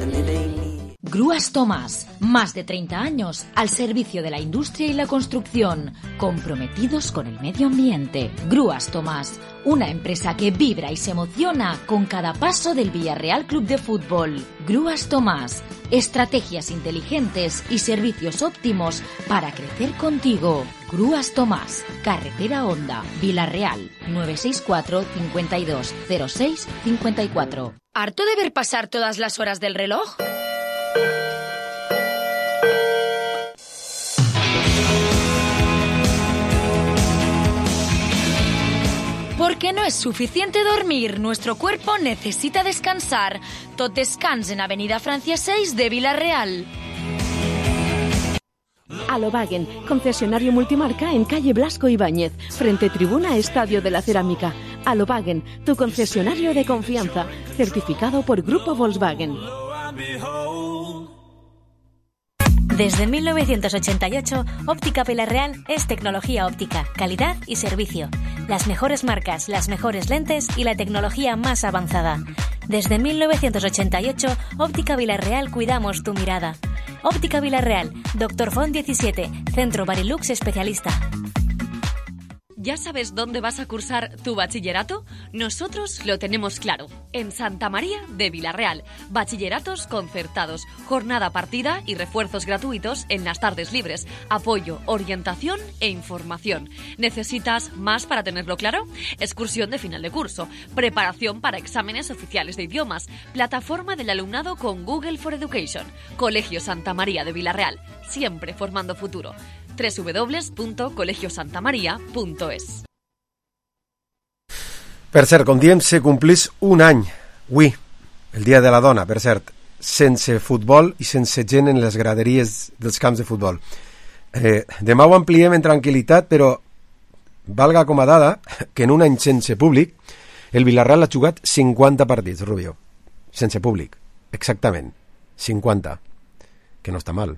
Grúas Tomás, más de 30 años al servicio de la industria y la construcción, comprometidos con el medio ambiente. Grúas Tomás, una empresa que vibra y se emociona con cada paso del Villarreal Club de Fútbol. Grúas Tomás, estrategias inteligentes y servicios óptimos para crecer contigo. Grúas Tomás, Carretera Honda, Villarreal, 964 52 06 54. ¿Harto de ver pasar todas las horas del reloj? Porque no es suficiente dormir, nuestro cuerpo necesita descansar. Tot Descans en Avenida Francia 6 de Villarreal. Alobagen, concesionario multimarca en calle Blasco Ibáñez, frente tribuna Estadio de la Cerámica. Alobagen, tu concesionario de confianza, certificado por Grupo Volkswagen. Desde 1988, Óptica Villarreal es tecnología óptica, calidad y servicio. Las mejores marcas, las mejores lentes y la tecnología más avanzada. Desde 1988, Óptica Villarreal cuidamos tu mirada. Óptica Villarreal, Dr. Font 17, Centro Barilux especialista. ¿Ya sabes dónde vas a cursar tu bachillerato? Nosotros lo tenemos claro. En Santa María de Villarreal. Bachilleratos concertados, jornada partida y refuerzos gratuitos en las tardes libres. Apoyo, orientación e información. ¿Necesitas más para tenerlo claro? Excursión de final de curso. Preparación para exámenes oficiales de idiomas. Plataforma del alumnado con Google for Education. Colegio Santa María de Villarreal. Siempre formando futuro. www.colegiosantamaria.es. Per cert, com diem, se complís un any, avui, el Dia de la Dona, per cert, sense futbol i sense gent en les graderies dels camps de futbol. Demà ho ampliem en tranquil·litat, però valga com a dada que en un any sense públic el Villarreal ha jugat 50 partits, Rubio. Sense públic, exactament. 50. Que no està mal.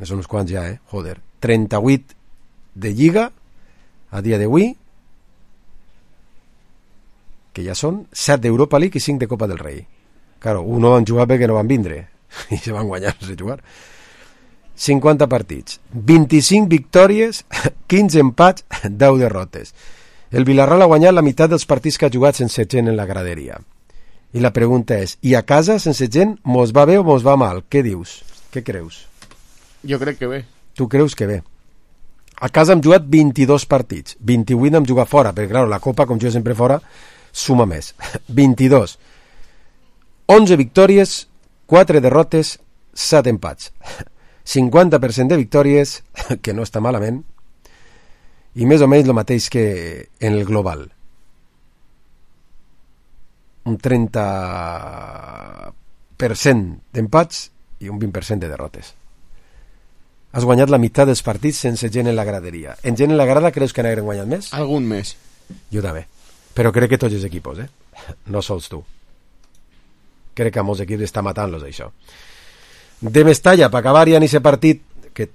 Són uns quants ja, joder. 38 de Lliga a dia d'avui, que ja són 7 d'Europa League i 5 de Copa del Rei. Claro, no van jugar perquè no van vindre i se van guanyar sense jugar. 50 partits, 25 victòries, 15 empats, 10 derrotes. El Villarreal ha guanyat la meitat dels partits que ha jugat sense gent en la graderia. I la pregunta és, i a casa sense gent mos va bé o mos va mal? Què dius? Què creus? Jo crec que bé. Tu creus que bé? A casa hem jugat 22 partits, 28 hem jugat fora, perquè clar, la Copa, com jo sempre fora, suma més. 22. 11 victòries, 4 derrotes, 7 empats. 50% de victòries, que no està malament, i més o menys el mateix que en el global. Un 30% d'empats i un 20% de derrotes. Has guanyat la meitat dels partits sense gent en la graderia. En gent en la grada creus que n'hagueren guanyat més? Algun més. Jo també. Però crec que tots els equipos, no sols tu. Crec que a molts equips està matant-los, això. De Mestalla, per acabar ja en aquest partit, que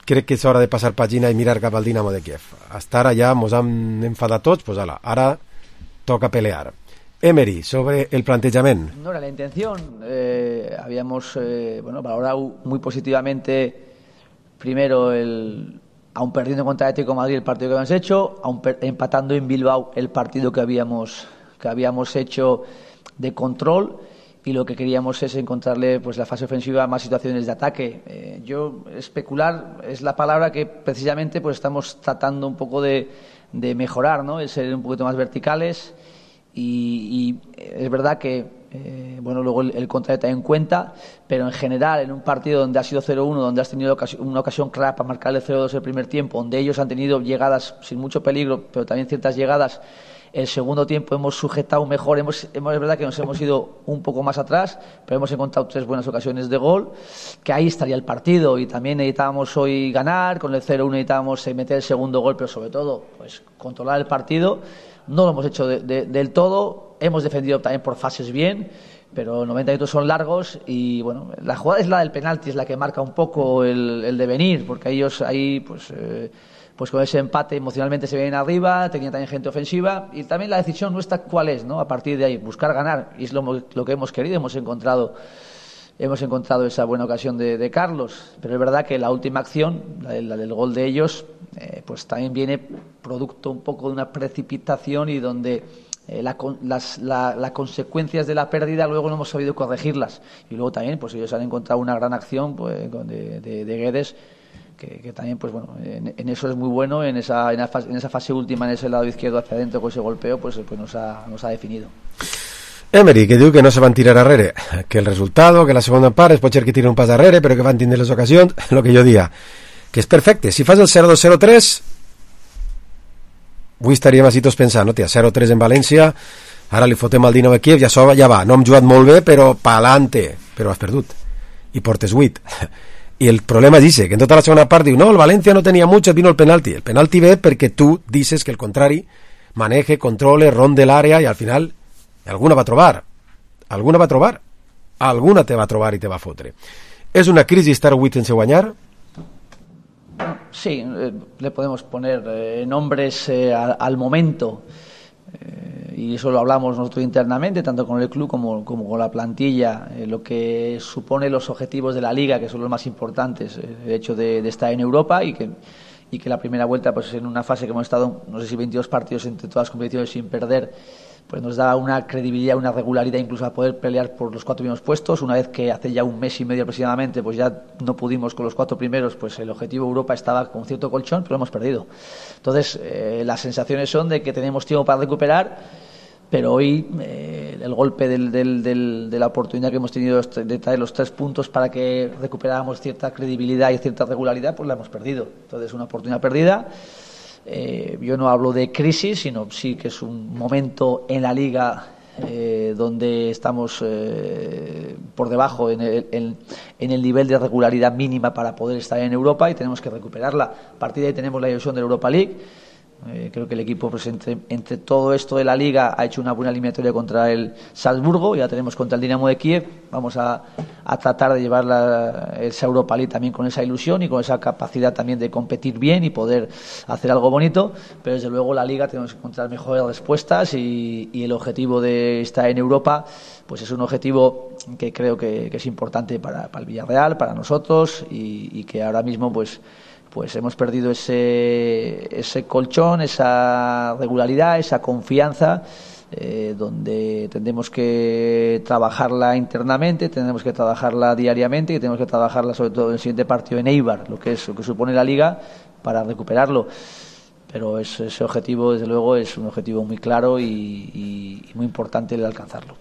crec que és hora de passar pàgina i mirar cap al Dinamo de Kiev. Hasta ara ja mos han enfadat tots, pues ala, ara toca pelear. Emery, sobre el planteamiento. No era la intención. Habíamos valorado muy positivamente, primero, aun perdiendo contra Atlético de Madrid el partido que habíamos hecho, aun empatando en Bilbao el partido que habíamos hecho de control, y lo que queríamos es encontrarle pues la fase ofensiva más situaciones de ataque. Especular es la palabra que precisamente pues estamos tratando un poco de mejorar, ¿no? El ser un poquito más verticales. Y es verdad que luego el contrato en cuenta, pero en general en un partido donde ha sido 0-1, donde has tenido una ocasión clara para marcar el 0-2 el primer tiempo, donde ellos han tenido llegadas sin mucho peligro, pero también ciertas llegadas, el segundo tiempo hemos sujetado mejor, es verdad que nos hemos ido un poco más atrás, pero hemos encontrado 3 buenas ocasiones de gol, que ahí estaría el partido, y también necesitábamos hoy ganar, con el 0-1 necesitábamos meter el segundo gol, pero sobre todo pues controlar el partido. No lo hemos hecho del todo, hemos defendido también por fases bien, pero 90 minutos son largos y bueno, la jugada es la del penalti, es la que marca un poco el devenir, porque ellos ahí pues con ese empate emocionalmente se vienen arriba, tenían también gente ofensiva y también la decisión nuestra cuál es, ¿no? A partir de ahí, buscar ganar, y es lo que hemos querido, hemos encontrado esa buena ocasión de Carlos, pero es verdad que la última acción, la del gol de ellos, pues también viene producto un poco de una precipitación y donde las consecuencias de la pérdida luego no hemos sabido corregirlas, y luego también pues ellos han encontrado una gran acción pues, de Guedes, que también pues bueno, en eso es muy bueno, en esa fase última, en ese lado izquierdo hacia adentro con ese golpeo, pues nos ha definido. Emery, que diu que no se van tirar arrere, que el resultado, que la segona part es pot ser que tiren un pas arrere, però que van tindre les ocasions, el que jo dia, que és perfecte. Si fas el 0-2-0-3, avui estaríem així tots pensant, no, tia, 0-3 en València, ara li fotem al Dinamo de Kiev, ja va, no hem jugat molt bé, però pa'lante, però has perdut, i portes 8. I el problema és que en tota la segona part diu, no, el València no tenia mucho, vino el penalti ve perquè tu dices que el contrari maneje, controle, ronde l'àrea i al final alguna va trobar, alguna te va trobar i te va fotre. És una crisi estar 8 sense guanyar? Sí, le podemos poner nombres al momento, y eso lo hablamos nosotros internamente, tanto con el club como con la plantilla, lo que supone los objetivos de la Liga, que son los más importantes, el hecho de estar en Europa y que la primera vuelta, pues en una fase que hemos estado, no sé si 22 partidos entre todas las competiciones sin perder, pues nos da una credibilidad, una regularidad incluso a poder pelear por los 4 primeros puestos. Una vez que hace ya un mes y medio aproximadamente pues ya no pudimos con los 4 primeros, pues el objetivo Europa estaba con cierto colchón, pero lo hemos perdido. Entonces las sensaciones son de que tenemos tiempo para recuperar, pero hoy el golpe de la oportunidad que hemos tenido de traer los 3 puntos para que recuperáramos cierta credibilidad y cierta regularidad, pues la hemos perdido. Entonces una oportunidad perdida. Yo no hablo de crisis, sino sí que es un momento en la Liga donde estamos por debajo en el nivel de regularidad mínima para poder estar en Europa y tenemos que recuperarla. A partir de ahí tenemos la ilusión de la Europa League. Creo que el equipo pues, entre todo esto de la Liga ha hecho una buena eliminatoria contra el Salzburgo, ya tenemos contra el Dinamo de Kiev, vamos a tratar de llevar esa Europa League también con esa ilusión y con esa capacidad también de competir bien y poder hacer algo bonito, pero desde luego la Liga tenemos que encontrar mejores respuestas y el objetivo de estar en Europa pues es un objetivo que creo que es importante para el Villarreal, para nosotros y que ahora mismo pues hemos perdido ese colchón, esa regularidad, esa confianza, donde tendremos que trabajarla internamente, tendremos que trabajarla diariamente y tenemos que trabajarla sobre todo en el siguiente partido en Eibar, lo que supone la Liga, para recuperarlo. Pero ese objetivo, desde luego, es un objetivo muy claro y muy importante el alcanzarlo.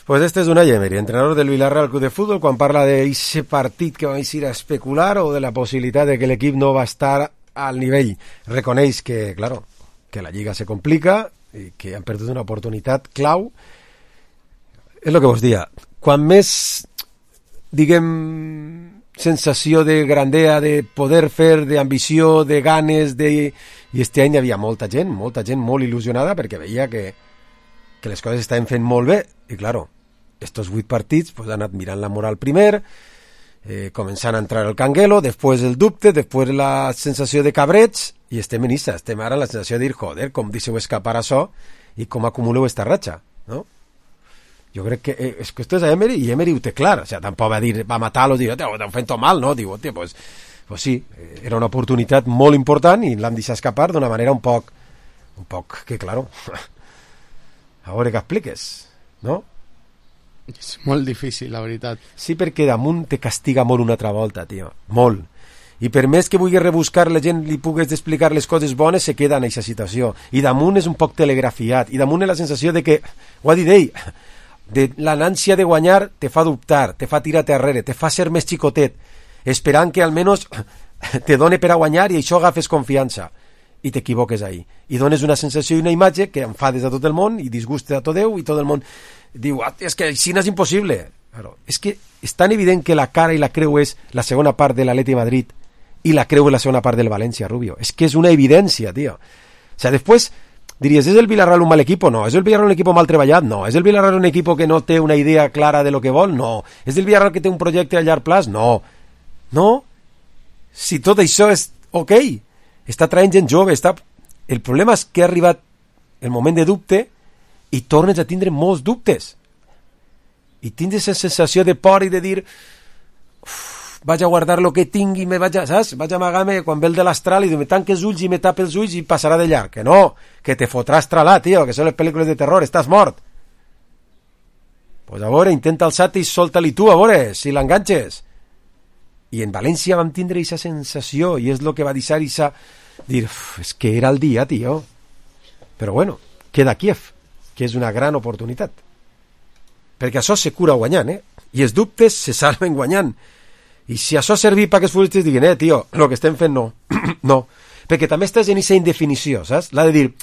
Pues este és Unai Emery, entrenador del Villarreal Club de Fútbol, quan parla d'eixe partit que vais ir a especular o de la possibilitat de que l'equip no va estar al nivell. Reconeix que, claro, que la Lliga se complica i que han perdut una oportunitat clau. És el que vos dia. Quan més, diguem, sensació de grandea, de poder fer, d'ambició, de ganes, i este any hi havia molta gent molt il·lusionada perquè veia que les coses estaven fent molt bé i, claro, estos 8 partits pues, han anat mirant la moral primer, començant a entrar el canguelo, després el dubte, després la sensació de cabrets, i estem en issa, estem ara la sensació de dir, joder, com deixeu escapar això i com acumuleu esta ratxa, no? Jo crec que és que esto és a Emery, i Emery ho té clar, o sea, tampoc va dir, va matar-los, dir, t'ho fent mal, no? Diu, pues sí, era una oportunitat molt important i l'han deixat escapar d'una manera un poc que, claro, a veure què expliques, no? És molt difícil, la veritat. Sí, perquè damunt te castiga molt una altra volta, tio, molt. I per més que vulgui rebuscar la gent li pugues explicar les coses bones, se queda en aquesta situació. I damunt és un poc telegrafiat. I damunt és la sensació de que, ho ha dit ell, de l'anància de guanyar te fa dubtar, te fa tirar-te arrere, te fa ser més xicotet, esperant que almenys te done per a guanyar i això agafes confiança. I t'equivoques ahí. I dones una sensació i una imatge que enfades a tot el món i disgusta a tot Déu i tot el món diu, és que així no és impossible. Claro, és que és tan evident que la cara i la creu és la segona part de l'Atleti de Madrid i la creu és la segona part del València, Rubio. És que és una evidència, tio. O sea, després diries, és el Villarreal un mal equipo? No. És el Villarreal un equipo mal treballat? No. És el Villarreal un equipo que no té una idea clara de lo que vol? No. És el Villarreal que té un projecte a llarg plaç? No. No. Si tot això és ok, està traient gent jove, el problema és que ha arribat el moment de dubte i tornes a tindre molts dubtes. I tens aquesta sensació de por i de dir vaig a guardar lo que tingui, saps? Vaig a amagar-me quan ve el de l'astral i me tanque els ulls i me tape els ulls i passarà de llarg. Que no, que te fotrà astralar, tio, que són les pel·lícules de terror, estàs mort. Pues a veure, intenta alçar-te i solta-li tu, a veure, si l'enganxes. I en València vam tindre aquesta sensació i és el que va deixar dir, és que era el dia, tio. Però bueno, queda Kiev, que és una gran oportunitat. Perquè això se cura guanyant, I els dubtes se salven guanyant. I si això servir perquè els futbolistes diguin, tio, el que estem fent no. No. Perquè també estàs en aquesta indefinició, saps? La de dir,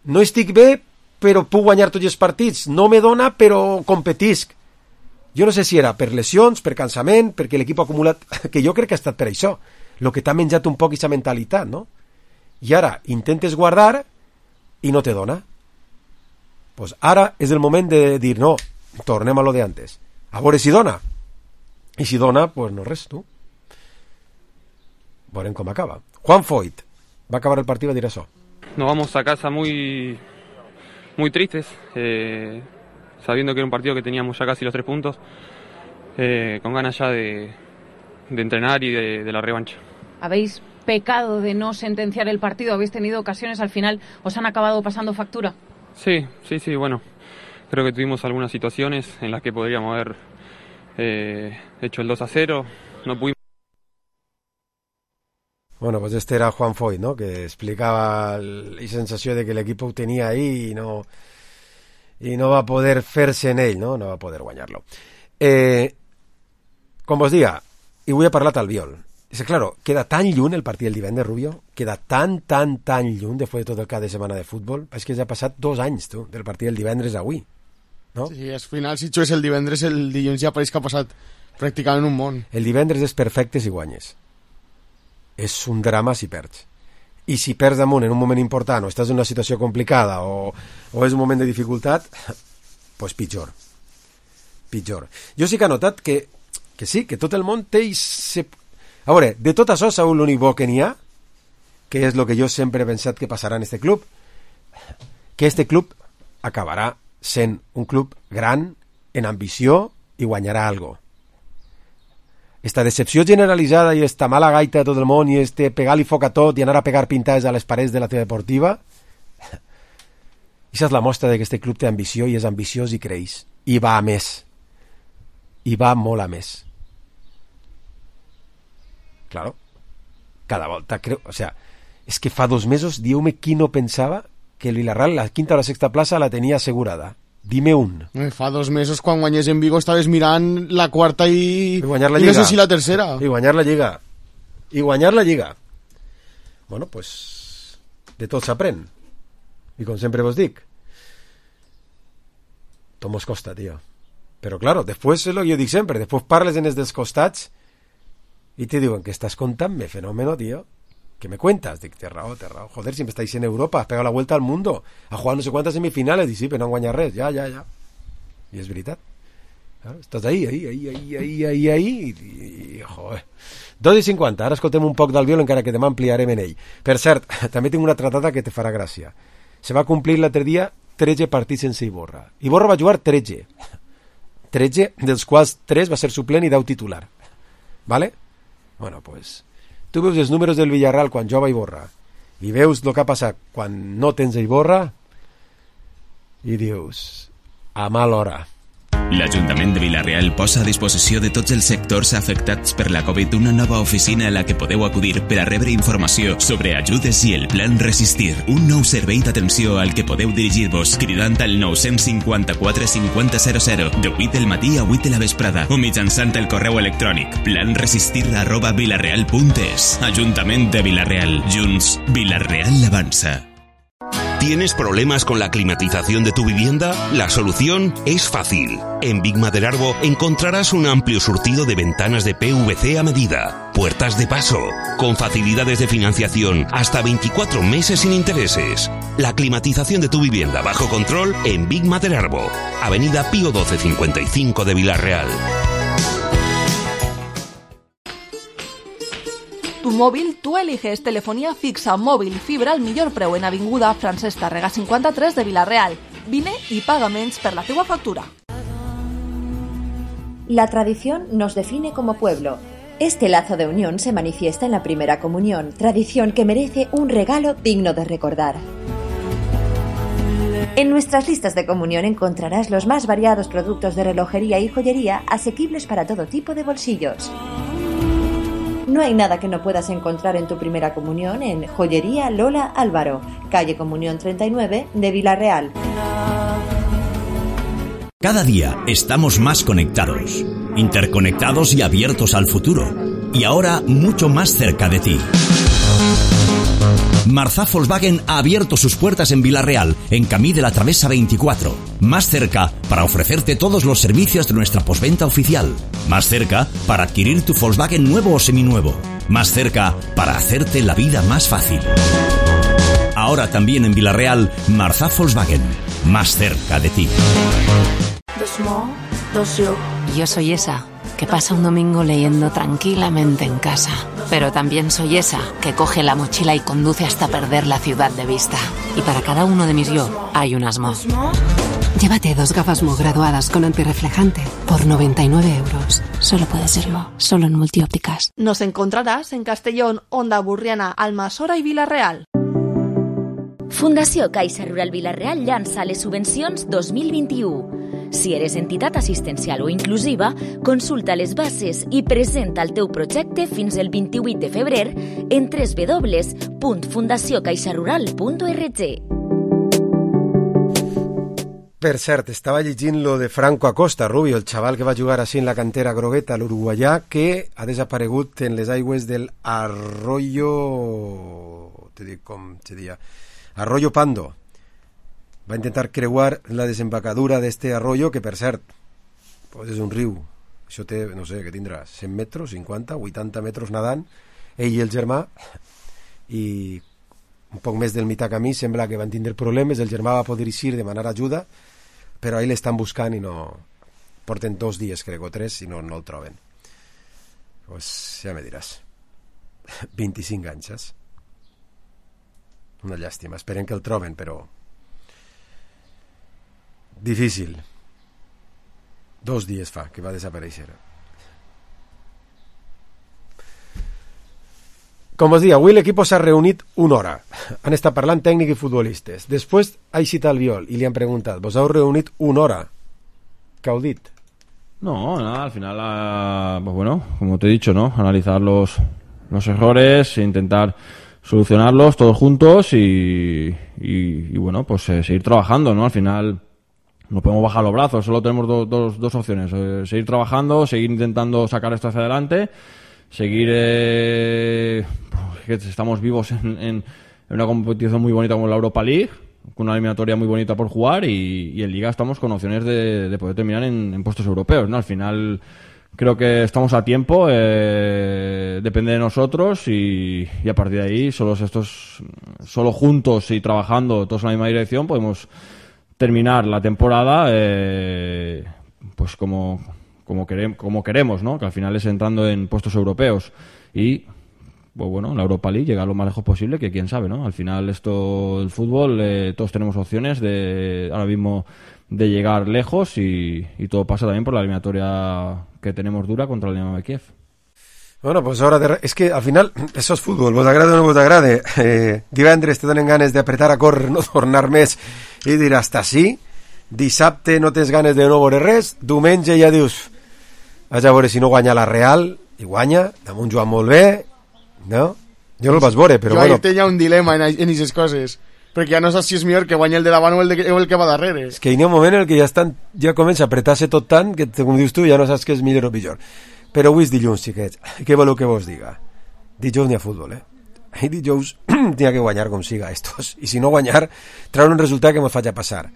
no estic bé, però puc guanyar tots els partits. No me dona, però competisc. Jo no sé si era per lesions, per cansament, perquè l'equip ha acumulat... Que jo crec que ha estat per això. El que t'ha menjat un poc aquesta mentalitat, no? I ara intentes guardar i no te dona. Pues ara és el moment de dir, no, tornem a lo de antes. A veure si dona. I si dona, pues no res, tu. Veurem com acaba. Juan Foyt va acabar el partit i va dir això. Nos vamos a casa muy tristes, sabiendo que era un partido que teníamos ya casi los 3 puntos, con ganas ya de entrenar y de la revancha. ¿Habéis pecado de no sentenciar el partido? ¿Habéis tenido ocasiones al final? ¿Os han acabado pasando factura? Sí, bueno. Creo que tuvimos algunas situaciones en las que podríamos haber hecho el 2-0. No pudimos. Bueno, pues este era Juan Foyt, ¿no? Que explicaba la sensació de que l'equip ho tenia ahí i no va poder fer-se en ell, no? No va poder guanyar-lo. Com vos diga, i vull parlar Albiol. És que, claro, queda tan lluny el partit del divendres, Rubio, queda tan lluny després de tot el cap de setmana de futbol. És que ja ha passat 2 anys, tu, del partit del divendres avui, no? Sí, al final, si jugues el divendres, el dilluns ja pareix que ha passat pràcticament un món. El divendres és perfecte si guanyes. És un drama si perds. I si perds damunt en un moment important o estàs en una situació complicada o és un moment de dificultat, pues pitjor. Jo sí que he notat que sí, que tot el món té... A veure, de tot això, Saúl, l'únic bo que n'hi ha, que és el que jo sempre he pensat que passarà en este club, que este club acabarà sent un club gran, en ambició, i guanyarà algo. Esta decepció generalitzada i esta mala gaita de tot el món i este pegar-li foc a tot i anar a pegar pintades a les parets de la teva deportiva, això és la mostra de que este club té ambició i és ambiciós i creix. I va a més. I va molt a més. Claro. Cada volta creo... O sea, és que fa 2 mesos, dieu-me qui no pensava que el Villarreal la quinta o la sexta plaça la tenia assegurada. Dime un. Fa 2 mesos, quan guanyés en Vigo, estaves mirant la quarta i guanyar la Lliga. I no sé si la tercera. I guanyar la Lliga. Bueno, pues de tot s'aprèn. I com sempre vos dic, tot mos costa, tio. Però claro, després és el que jo dic sempre, després parles en els dels costats i te diuen que estàs contant-me fenómeno, tío. ¿Qué me cuentas? Dic, té raó. Joder, siempre estáis en Europa, has pegado la vuelta al mundo, has jugado no sé cuántas semifinales, dic, sí, però no han guanyat res, ja. I és veritat. Claro, estàs ahí, i joder. 2:50, ara escoltem un poc d'Albiol, encara que demà ampliarem en ell. Per cert, també tinc una tratada que te farà gràcia. Se va complir l'altre dia 13 partits sense Iborra. Iborra va jugar 13, dels quals 3 va ser suplent i 10 titular. ¿Vale? Bueno, pues tu veus els números del Villarreal quan jova Iborra i veus el que ha passat quan no tens Iborra i dius, a mal hora. L'Ajuntament de Vila-real posa a disposició de tots els sectors afectats per la Covid una nova oficina a la que podeu acudir per a rebre informació sobre ajudes i el Plan Resistir, un nou servei d'atenció al que podeu dirigir-vos cridant al 954 5000 de 8 del matí a 8 de la vesprada o mitjançant el correu electrònic planresistir@vilareal.es. Ajuntament de Vila-real. Junts, Vila-real avança. ¿Tienes problemas con la climatización de tu vivienda? La solución es fácil. En Big Maderarbo encontrarás un amplio surtido de ventanas de PVC a medida, puertas de paso, con facilidades de financiación hasta 24 meses sin intereses. La climatización de tu vivienda bajo control en Big Maderarbo, Avenida Pío 1255 de Vila-real. Tu mòbil, tu eliges telefonia fixa, mòbil i fibra al millor preu en Avinguda Francesc Tàrrega 53 de Vila-real. Vine i paga menys per la teua factura. La tradición nos define como pueblo. Este lazo de unión se manifiesta en la primera comunión, tradición que merece un regalo digno de recordar. En nuestras listas de comunión encontrarás los más variados productos de relojería y joyería asequibles para todo tipo de bolsillos. No hay nada que no puedas encontrar en tu primera comunión en Joyería Lola Álvaro, calle Comunión 39 de Vila-real. Cada día estamos más conectados, interconectados y abiertos al futuro. Y ahora mucho más cerca de ti. Marzá Volkswagen ha abierto sus puertas en Vila-real, en Camí de la Travesa 24. Más cerca para ofrecerte todos los servicios de nuestra postventa oficial. Más cerca para adquirir tu Volkswagen nuevo o seminuevo. Más cerca para hacerte la vida más fácil. Ahora también en Vila-real, Marzá Volkswagen. Más cerca de ti. Yo soy esa que pasa un domingo leyendo tranquilamente en casa. Pero también soy esa que coge la mochila y conduce hasta perder la ciudad de vista. Y para cada uno de mis yo hay un Asmo. Llévate 2 gafas Mo graduadas con antirreflejante por 99 euros. Solo puede serlo, solo en Multiópticas. Nos encontrarás en Castellón, Onda Burriana, Almassora i Vila-real. Fundació Caixa Rural Vila-real llança les subvencions 2021. Si eres entitat assistencial o inclusiva, consulta les bases i presenta el teu projecte fins el 28 de febrer en www.fundaciocaixarural.org. Per cert, estava llegint lo de Franco Acosta, Rubio, el xaval que va jugar així en la cantera grogueta, l'uruguaià, que ha desaparegut en les aigües del Arroyo... Te dic com se diria... Arroyo Pando. Va intentar creuar la desembocadura d'este arroyo, que per cert, pues és un riu. Això té, no sé, què tindrà? 100 metres, 50, 80 metres nadant, ell i el germà, i un poc més del mitjà camí sembla que van tindre problemes, el germà va poder eixir, demanar ajuda, però ahí l'estan buscant i no... Porten 2 dies, crec, o 3, i no el troben. Pues ja me diràs. 25 anys. Una llàstima. Esperen que el troben, però... Difícil. 2 dies fa que va desaparèixer. Com us dic, avui l'equip s'ha reunit 1 hora. Han estat parlant tècnic i futbolistes. Després ha eixit Albiol i li han preguntat: vos heu reunit 1 hora? ¿Qué heu dit? No, nada, al final, pues bueno, como te he dicho, ¿no? Analizar los errores, intentar solucionarlos todos juntos y bueno, pues seguir trabajando, ¿no? Al final no podemos bajar los brazos, solo tenemos dos opciones: seguir trabajando, seguir intentando sacar esto hacia adelante, seguir que estamos vivos en una competición muy bonita como la Europa League, con una eliminatoria muy bonita por jugar, y en Liga estamos con opciones de poder terminar en puestos europeos, ¿no? Al final creo que estamos a tiempo, depende de nosotros, y a partir de ahí solo juntos y trabajando todos en la misma dirección podemos terminar la temporada pues como queremos, ¿no? Que al final es entrando en puestos europeos y pues bueno, la Europa League llegar lo más lejos posible, que quién sabe, ¿no? Al final el fútbol, todos tenemos opciones ahora mismo de llegar lejos, y todo pasa también por la eliminatoria que tenemos dura contra el Dinamo de Kiev. Bueno, pues és que al final això és futbol, vos agrada o no vos agrada. Divendres te donen ganes d'apretar a córrer, no tornar més i dir hasta sí. Dissabte no tens ganes de no veure res, diumenge ja dius vaig a veure si no guanya la Real, i guanya, damunt juga molt bé, no? Jo no el vas veure, però bueno. Jo tenia un dilema en aquestes coses, perquè ja no saps si és millor que guanya el de davant o el que va darrere. És que hi ha un moment en què ja comença a apretar-se tot tant que, com dius tu, ja no saps què és millor o pitjor. Però avui és dilluns, xiquets. Què voleu que vos diga? Dijous n'hi ha futbol, ahir dijous tenia que guanyar com siga estos, i si no guanyar treure un resultat que me faci passar,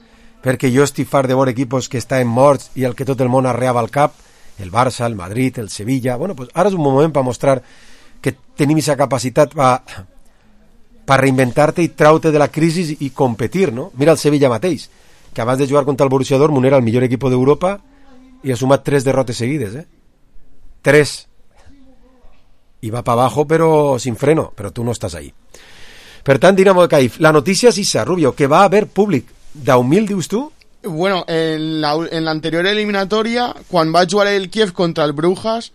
perquè jo estic fart de veure equipos que estan morts i el que tot el món arreava al cap, el Barça, el Madrid, el Sevilla. Bueno, pues ara és un moment per mostrar que tenim aquesta capacitat per reinventar-te i traure de la crisi i competir, no? Mira el Sevilla mateix, que abans de jugar contra el Borussia Dortmund era el millor equip d'Europa i ha sumat 3 derrotes seguides, 3. I va para abajo pero sin freno, però tu no estàs ahí. Per tant, Dinamo de Kyiv, la notícia és issa, Rubio, que va haver públic. ¿10.000 dius tu? Bueno, en la anterior eliminatoria, quan va jugar el Kiev contra el Brujas,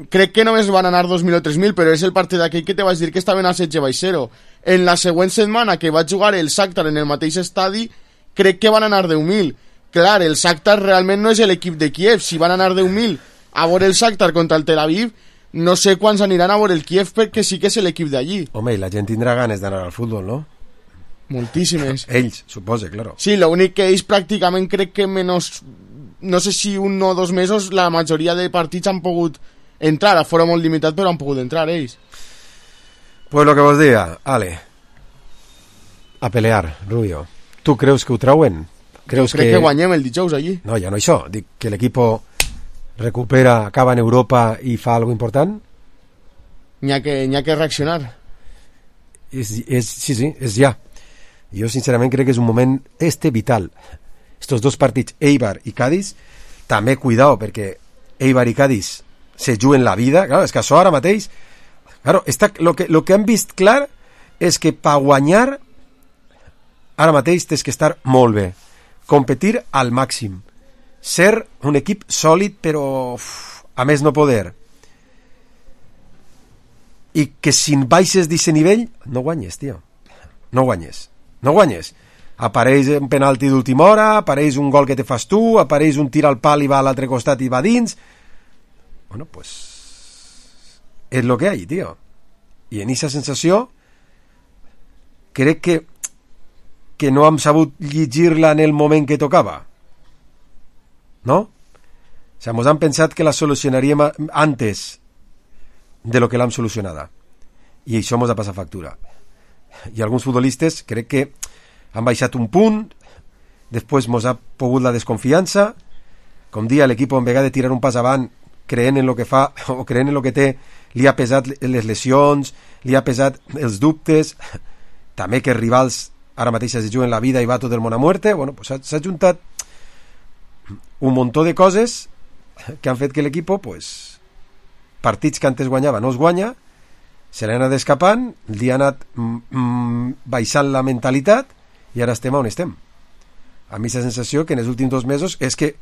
crec que només van anar 2.000 o 3.000, però és el partit d'aquell que te vaig dir que estaven a 16-0. En la següent setmana que va jugar el Shakhtar en el mateix estadi, crec que van anar 10.000. Clar, el Shakhtar realment no és l'equip de Kiev. Si van anar 10.000 a veure el Shakhtar contra el Tel Aviv, no sé quants aniran a veure el Kiev, perquè sí que és l'equip d'allí. Home, i la gent tindrà ganes d'anar al futbol, no? Moltíssimes. Ells, suposa, claro. Sí, l'únic que ells pràcticament crec que menys, no sé si 1 o 2 mesos, la majoria de partits han pogut entrar, a fora molt limitat, però han pogut entrar ells. Pues lo que vos diga, ale, a pelear, Rubio. Tu creus que ho trauen? Creus crec que guanyem el dijous allí. No, ja no això, dic que l'equipo recupera, acaba en Europa i fa algo important? N'hi ha que reaccionar. Sí, és ja. Jo sincerament crec que és un moment vital. Estos dos partits, Eibar i Cádiz, també cuidao, perquè Eibar i Cádiz se juguen la vida. Claro, és que això ara mateix, claro, lo que han vist clar és que per guanyar ara mateix tens que estar molt bé, competir al màxim, ser un equip sòlid però a més no poder, i que si baixes d'aquest nivell no guanyes, tio, no guanyes. Apareix un penalti d'última hora, apareix un gol que te fas tu, apareix un tir al pal i va a l'altre costat i va dins. Bueno, pues és lo que hay, tio. I en aquesta sensació crec que no hem sabut llegir-la en el moment que tocava, no? O sea, mos han pensat que la solucionaríem antes de lo que l'hem solucionada, i això mos ha passat factura. I alguns futbolistes crec que han baixat un punt, després mos ha pogut la desconfiança, com dia l'equip en vegada de tirar un pas avant creent en lo que fa o creent en lo que té, li ha pesat les lesions, li ha pesat els dubtes, també que els rivals ara mateix es juguen la vida i va tot el món a muerte. Bueno, pues s'ha juntat un muntó de coses que han fet que l'equip, pues, partits que antes guanyava no es guanya, se l'ha anat escapant, li ha anat baixant la mentalitat i ara estem on estem. A mi la sensació que en els últims 2 mesos és que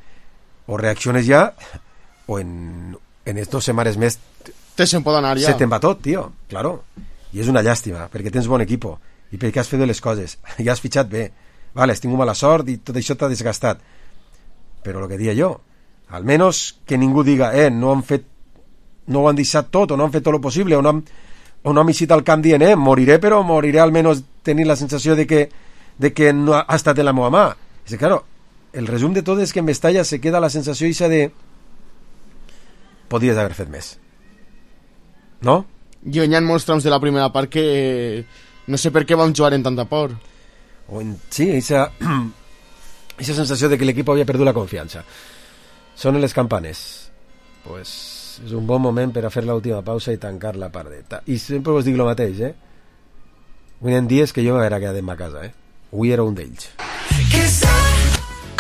o reacciones ja o en 2 setmanes més se'n pot anar ja. Se te'n va tot, tio, claro. I és una llàstima, perquè tens bon equip i perquè has fet les coses, ja has fitxat bé, vale, has tingut mala sort i tot això t'ha desgastat, però el que dia jo, almenys que ningú diga no ho han deixat tot, o no han fet tot lo possible, o no han eixit al camp dient moriré, però moriré almenys tenint la sensació de que no ha estat en la meva mà. És que, claro, el resum de tot és que en Mestalla se queda la sensació ixa de podries haver fet més, no? Jo hi ha molts trams de la primera part que no sé per què vam jugar en tanta por. Sí, esa sensació de que l'equip havia perdut la confiança. Sonen les campanes. Pues és un bon moment per a fer l'última pausa i tancar la part. I sempre us dic el mateix, Avui en dies que jo m'haguera quedat en ma casa, Avui era un d'ells.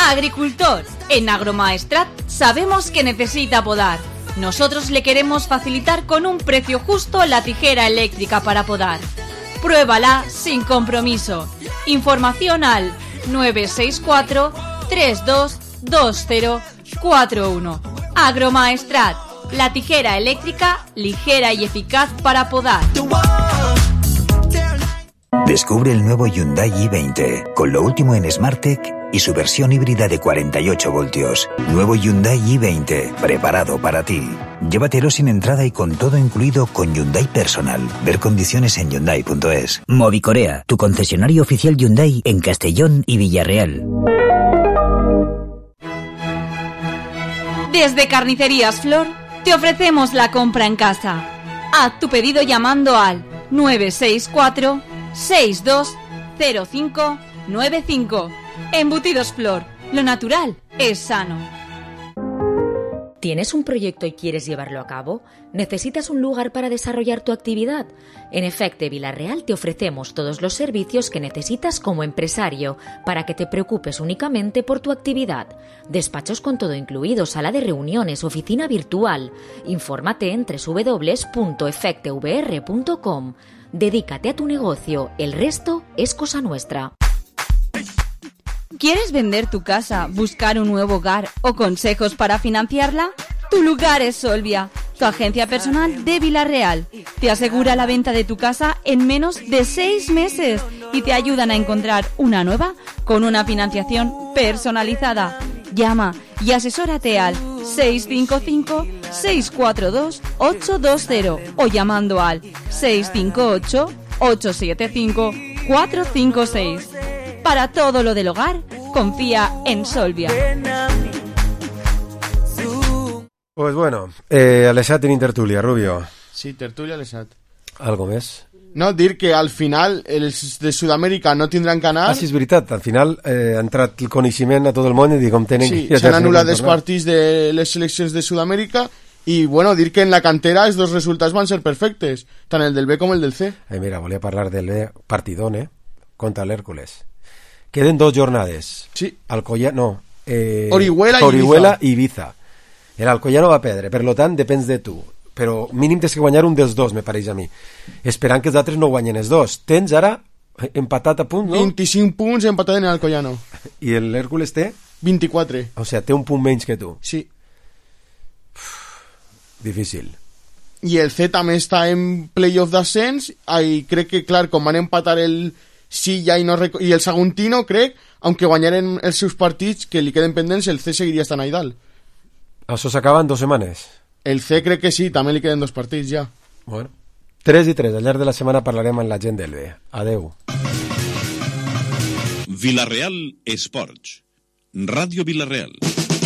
Agricultor, en Agromaestrat sabemos que necesita podar. Nosotros le queremos facilitar con un precio justo la tijera eléctrica para podar. Pruébala sin compromiso. Información al 964 322041. Agromaestrat, la tijera eléctrica ligera y eficaz para podar. Descubre el nuevo Hyundai i20, con lo último en SmartTech y su versión híbrida de 48 voltios. Nuevo Hyundai i20, preparado para ti. Llévatelo sin entrada y con todo incluido con Hyundai Personal. Ver condiciones en Hyundai.es. Movicorea, tu concesionario oficial Hyundai en Castellón y Villarreal. Desde Carnicerías Flor te ofrecemos la compra en casa. Haz tu pedido llamando al 964-620595. Embutidos Flor, lo natural es sano. ¿Tienes un proyecto y quieres llevarlo a cabo? ¿Necesitas un lugar para desarrollar tu actividad? En Efecte Vila-real te ofrecemos todos los servicios que necesitas como empresario para que te preocupes únicamente por tu actividad. Despachos con todo incluido, sala de reuniones, oficina virtual. Infórmate en www.efectevr.com. Dedícate a tu negocio, el resto es cosa nuestra. ¿Quieres vender tu casa, buscar un nuevo hogar o consejos para financiarla? Tu lugar es Solvia, tu agencia personal de Vila-real. Te asegura la venta de tu casa en menos de 6 meses y te ayudan a encontrar una nueva con una financiación personalizada. Llama y asesórate al 655-642-820 o llamando al 658-875-456. Para todo lo del hogar, confía en Solvia. Pues bueno, Alessat en tertulia, Rubio. Sí, tertulia Alessat. Algo més? No, dir que al final els de Sud-amèrica no tindran canal. Sí, és veritat, al final ha entrat el coneixement a tot el món i dic com tenen sí, que... s'han anul·lat els partits de les seleccions de Sud-amèrica i, bueno, dir que en la cantera els dos resultats van ser perfectes, tant el del B com el del C. Mira, volia parlar del B, partidón, contra l'Hèrcules. Queden 2 jornades. Sí. Orihuela i Ibiza. L'Alcoyano va perdre, per tant, depèn de tu. Però mínim tens que guanyar un dels dos, me pareix a mi. Esperant que els altres no guanyen els dos. Tens ara empatat a punt, no? 25 punts empatat en l'Alcoyano. I l'Hèrcules té? 24. O sigui, té un punt menys que tu. Sí. Difícil. I el C també està en playoff d'ascens i crec que, clar, com van empatar el Silla i el Saguntino, crec, aunque guanyaren els seus partits que li queden pendents, el C seguiria estant ahí dalt. Això s'acaba en 2 setmanes? El C crec que sí, també li queden 2 partits ja. Bueno, 3 i 3, al llarg de la setmana parlarem amb la gent del B. Adeu. Vila-real Esports. Ràdio Vila-real.